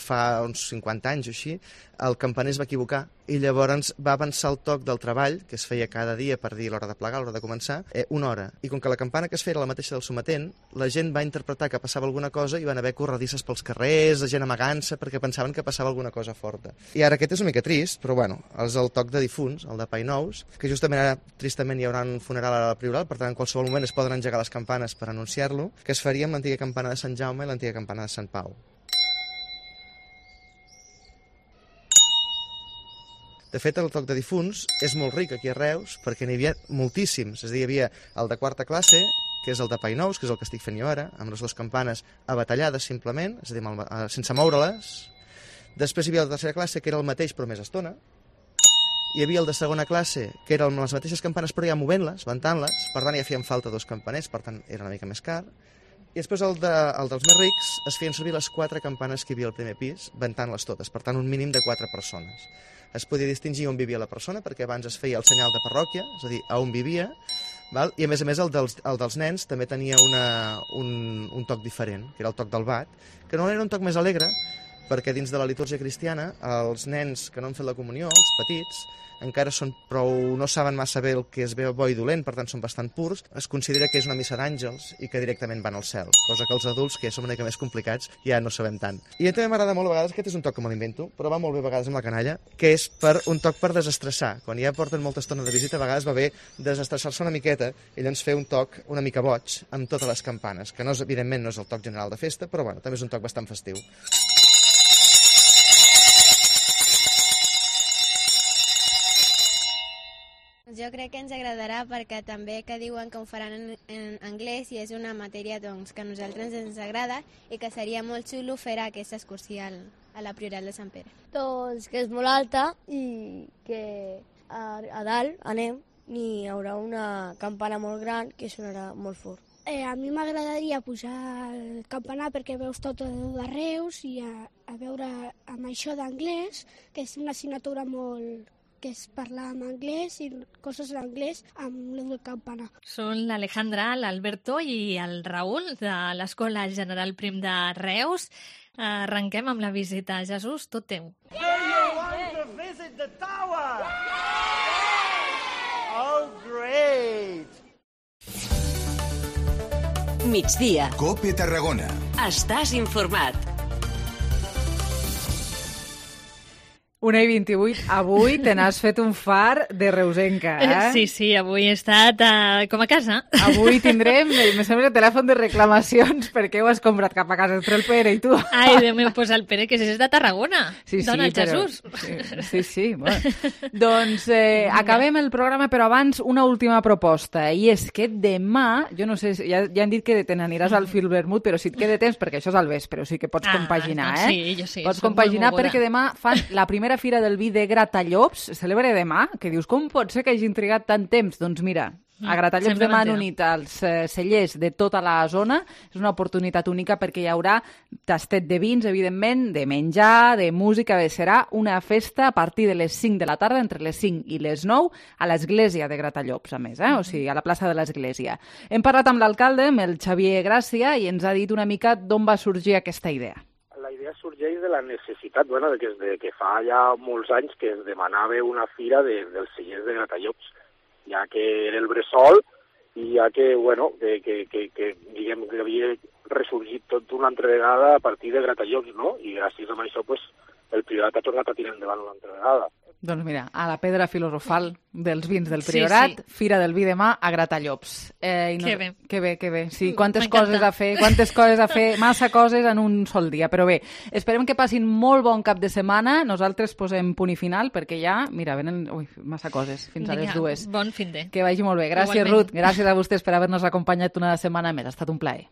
fa uns 50 anys o així, el campaner es va equivocar i llavors va avançar el toc del treball, que es feia cada dia per dir l'hora de plegar, l'hora de començar, una hora. I com que la campana que es feia era la mateixa del sometent, la gent va interpretar que passava alguna cosa i van haver corredisses pels carrers, la gent amagant-se perquè pensaven que passava alguna cosa forta. I ara aquest és una mica trist, però bueno, és el toc de difunts, el de Painous, que justament ara tristament hi haurà un funeral a la Prioral, per tant en qualsevol moment es poden engegar les campanes per anunciar-lo, que es faria amb l'antiga campana de Sant Jaume i l'antiga campana de Sant Pau. De fet, el toc de difunts és molt ric aquí a Reus perquè n'hi havia moltíssims. És a dir, hi havia el de quarta classe, que és el de Painous, que és el que estic fent jo ara, amb les 2 campanes abatallades simplement, és a dir, sense moure-les. Després hi havia el de tercera classe, que era el mateix però més estona. Hi havia el de segona classe, que era amb les mateixes campanes però ja movent-les, ventant-les, per tant ja feien falta 2 campaners, per tant era una mica més car. I després el dels més rics es feien servir les 4 campanes que hi havia al primer pis, ventant-les totes, per tant un mínim de 4 persones. Es podia distingir on vivia la persona, perquè abans es feia el senyal de parròquia, és a dir, on vivia, val? I a més el dels nens també tenia un toc diferent, que era el toc del bat, que no era un toc més alegre, perquè dins de la litúrgia cristiana els nens que no han fet la comunió, els petits, encara no saben massa bé el que és bo i dolent, per tant són bastant purs. Es considera que és una missa d'àngels i que directament van al cel, cosa que els adults, que ja som una mica més complicats, ja no sabem tant. I a mi també m'agrada molt a vegades, aquest és un toc que me l'invento, però va molt bé a vegades amb la canalla, que és un toc per desestressar. Quan ja porten molta estona de visita, a vegades va bé desestressar-se una miqueta i llavors fer un toc una mica boig amb totes les campanes, que evidentment no és el toc general de festa, però bueno, també és un toc bastant festiu. Jo crec que ens agradarà perquè també que diuen que ho faran en anglès i és una matèria doncs, que a nosaltres ens agrada i que seria molt xulo fer aquesta excursió a la Prioral de Sant Pere. Doncs que és molt alta i que a dalt anem i hi haurà una campana molt gran que sonarà molt fort. A mi m'agradaria pujar al campanar perquè veus tot de Reus i a veure amb això d'anglès, que és una assignatura molt que és parlar en anglès i coses en anglès amb el campanar. Són l'Alejandra, l'Alberto i el Raül de l'Escola General Prim de Reus. Arrenquem amb la visita. Jesús, tot teu. Do you want to visit the tower? Oh, great! Migdia. COPE Tarragona. Estàs informat. 1:28. Avui te n'has fet un far de reusenca, eh? Sí, avui he estat com a casa. Avui tindrem, me sembla, telèfon de reclamacions perquè ho has comprat cap a casa entre el Pere i tu. Ai, Déu meu, pues el Pere, que és de Tarragona. Sí, Dona el però... Jesús. Sí, bueno. Doncs acabem el programa, però abans una última proposta, i és que demà, jo no sé, ja han dit que te n'aniràs al Filvermut, però si et queda temps, perquè això és al vespre, o sigui que pots compaginar, doncs sí, jo sí. Pots compaginar perquè demà fan la primera Fira del Vi de Gratallops, se celebra demà, que dius, com pot ser que hagin trigat tant temps? Doncs mira, a Gratallops demà han unit els cellers de tota la zona, és una oportunitat única perquè hi haurà tastet de vins, evidentment, de menjar, de música, serà una festa a partir de les 5 de la tarda, entre les 5 i les 9, a l'església de Gratallops, a més, o sigui, a la plaça de l'església. Hem parlat amb l'alcalde, amb el Xavier Gràcia, i ens ha dit una mica d'on va sorgir aquesta idea. La idea sorgeix de la necessitat, que fa ja molts anys que es demanava una fira dels cellers de Gratallops, ja que era el bressol i ja que, diguem que havia ressorgit tot una altra vegada a partir de Gratallops, no? I gràcies a això, el Priorat ha tornat a tirar endavant una altra vegada. Doncs mira, a la pedra filosofal dels vins del Priorat, sí. Fira del Vi demà a Gratallops. Que bé. Que bé. Sí, quantes coses a fer, massa coses en un sol dia. Però bé, esperem que passin molt bon cap de setmana. Nosaltres posem punt i final perquè ja, mira, venen massa coses fins a les 2. Bon fin de. Que vagi molt bé. Gràcies, Ruth. Gràcies a vostès per haver-nos acompanyat una setmana més. Ha estat un plaer.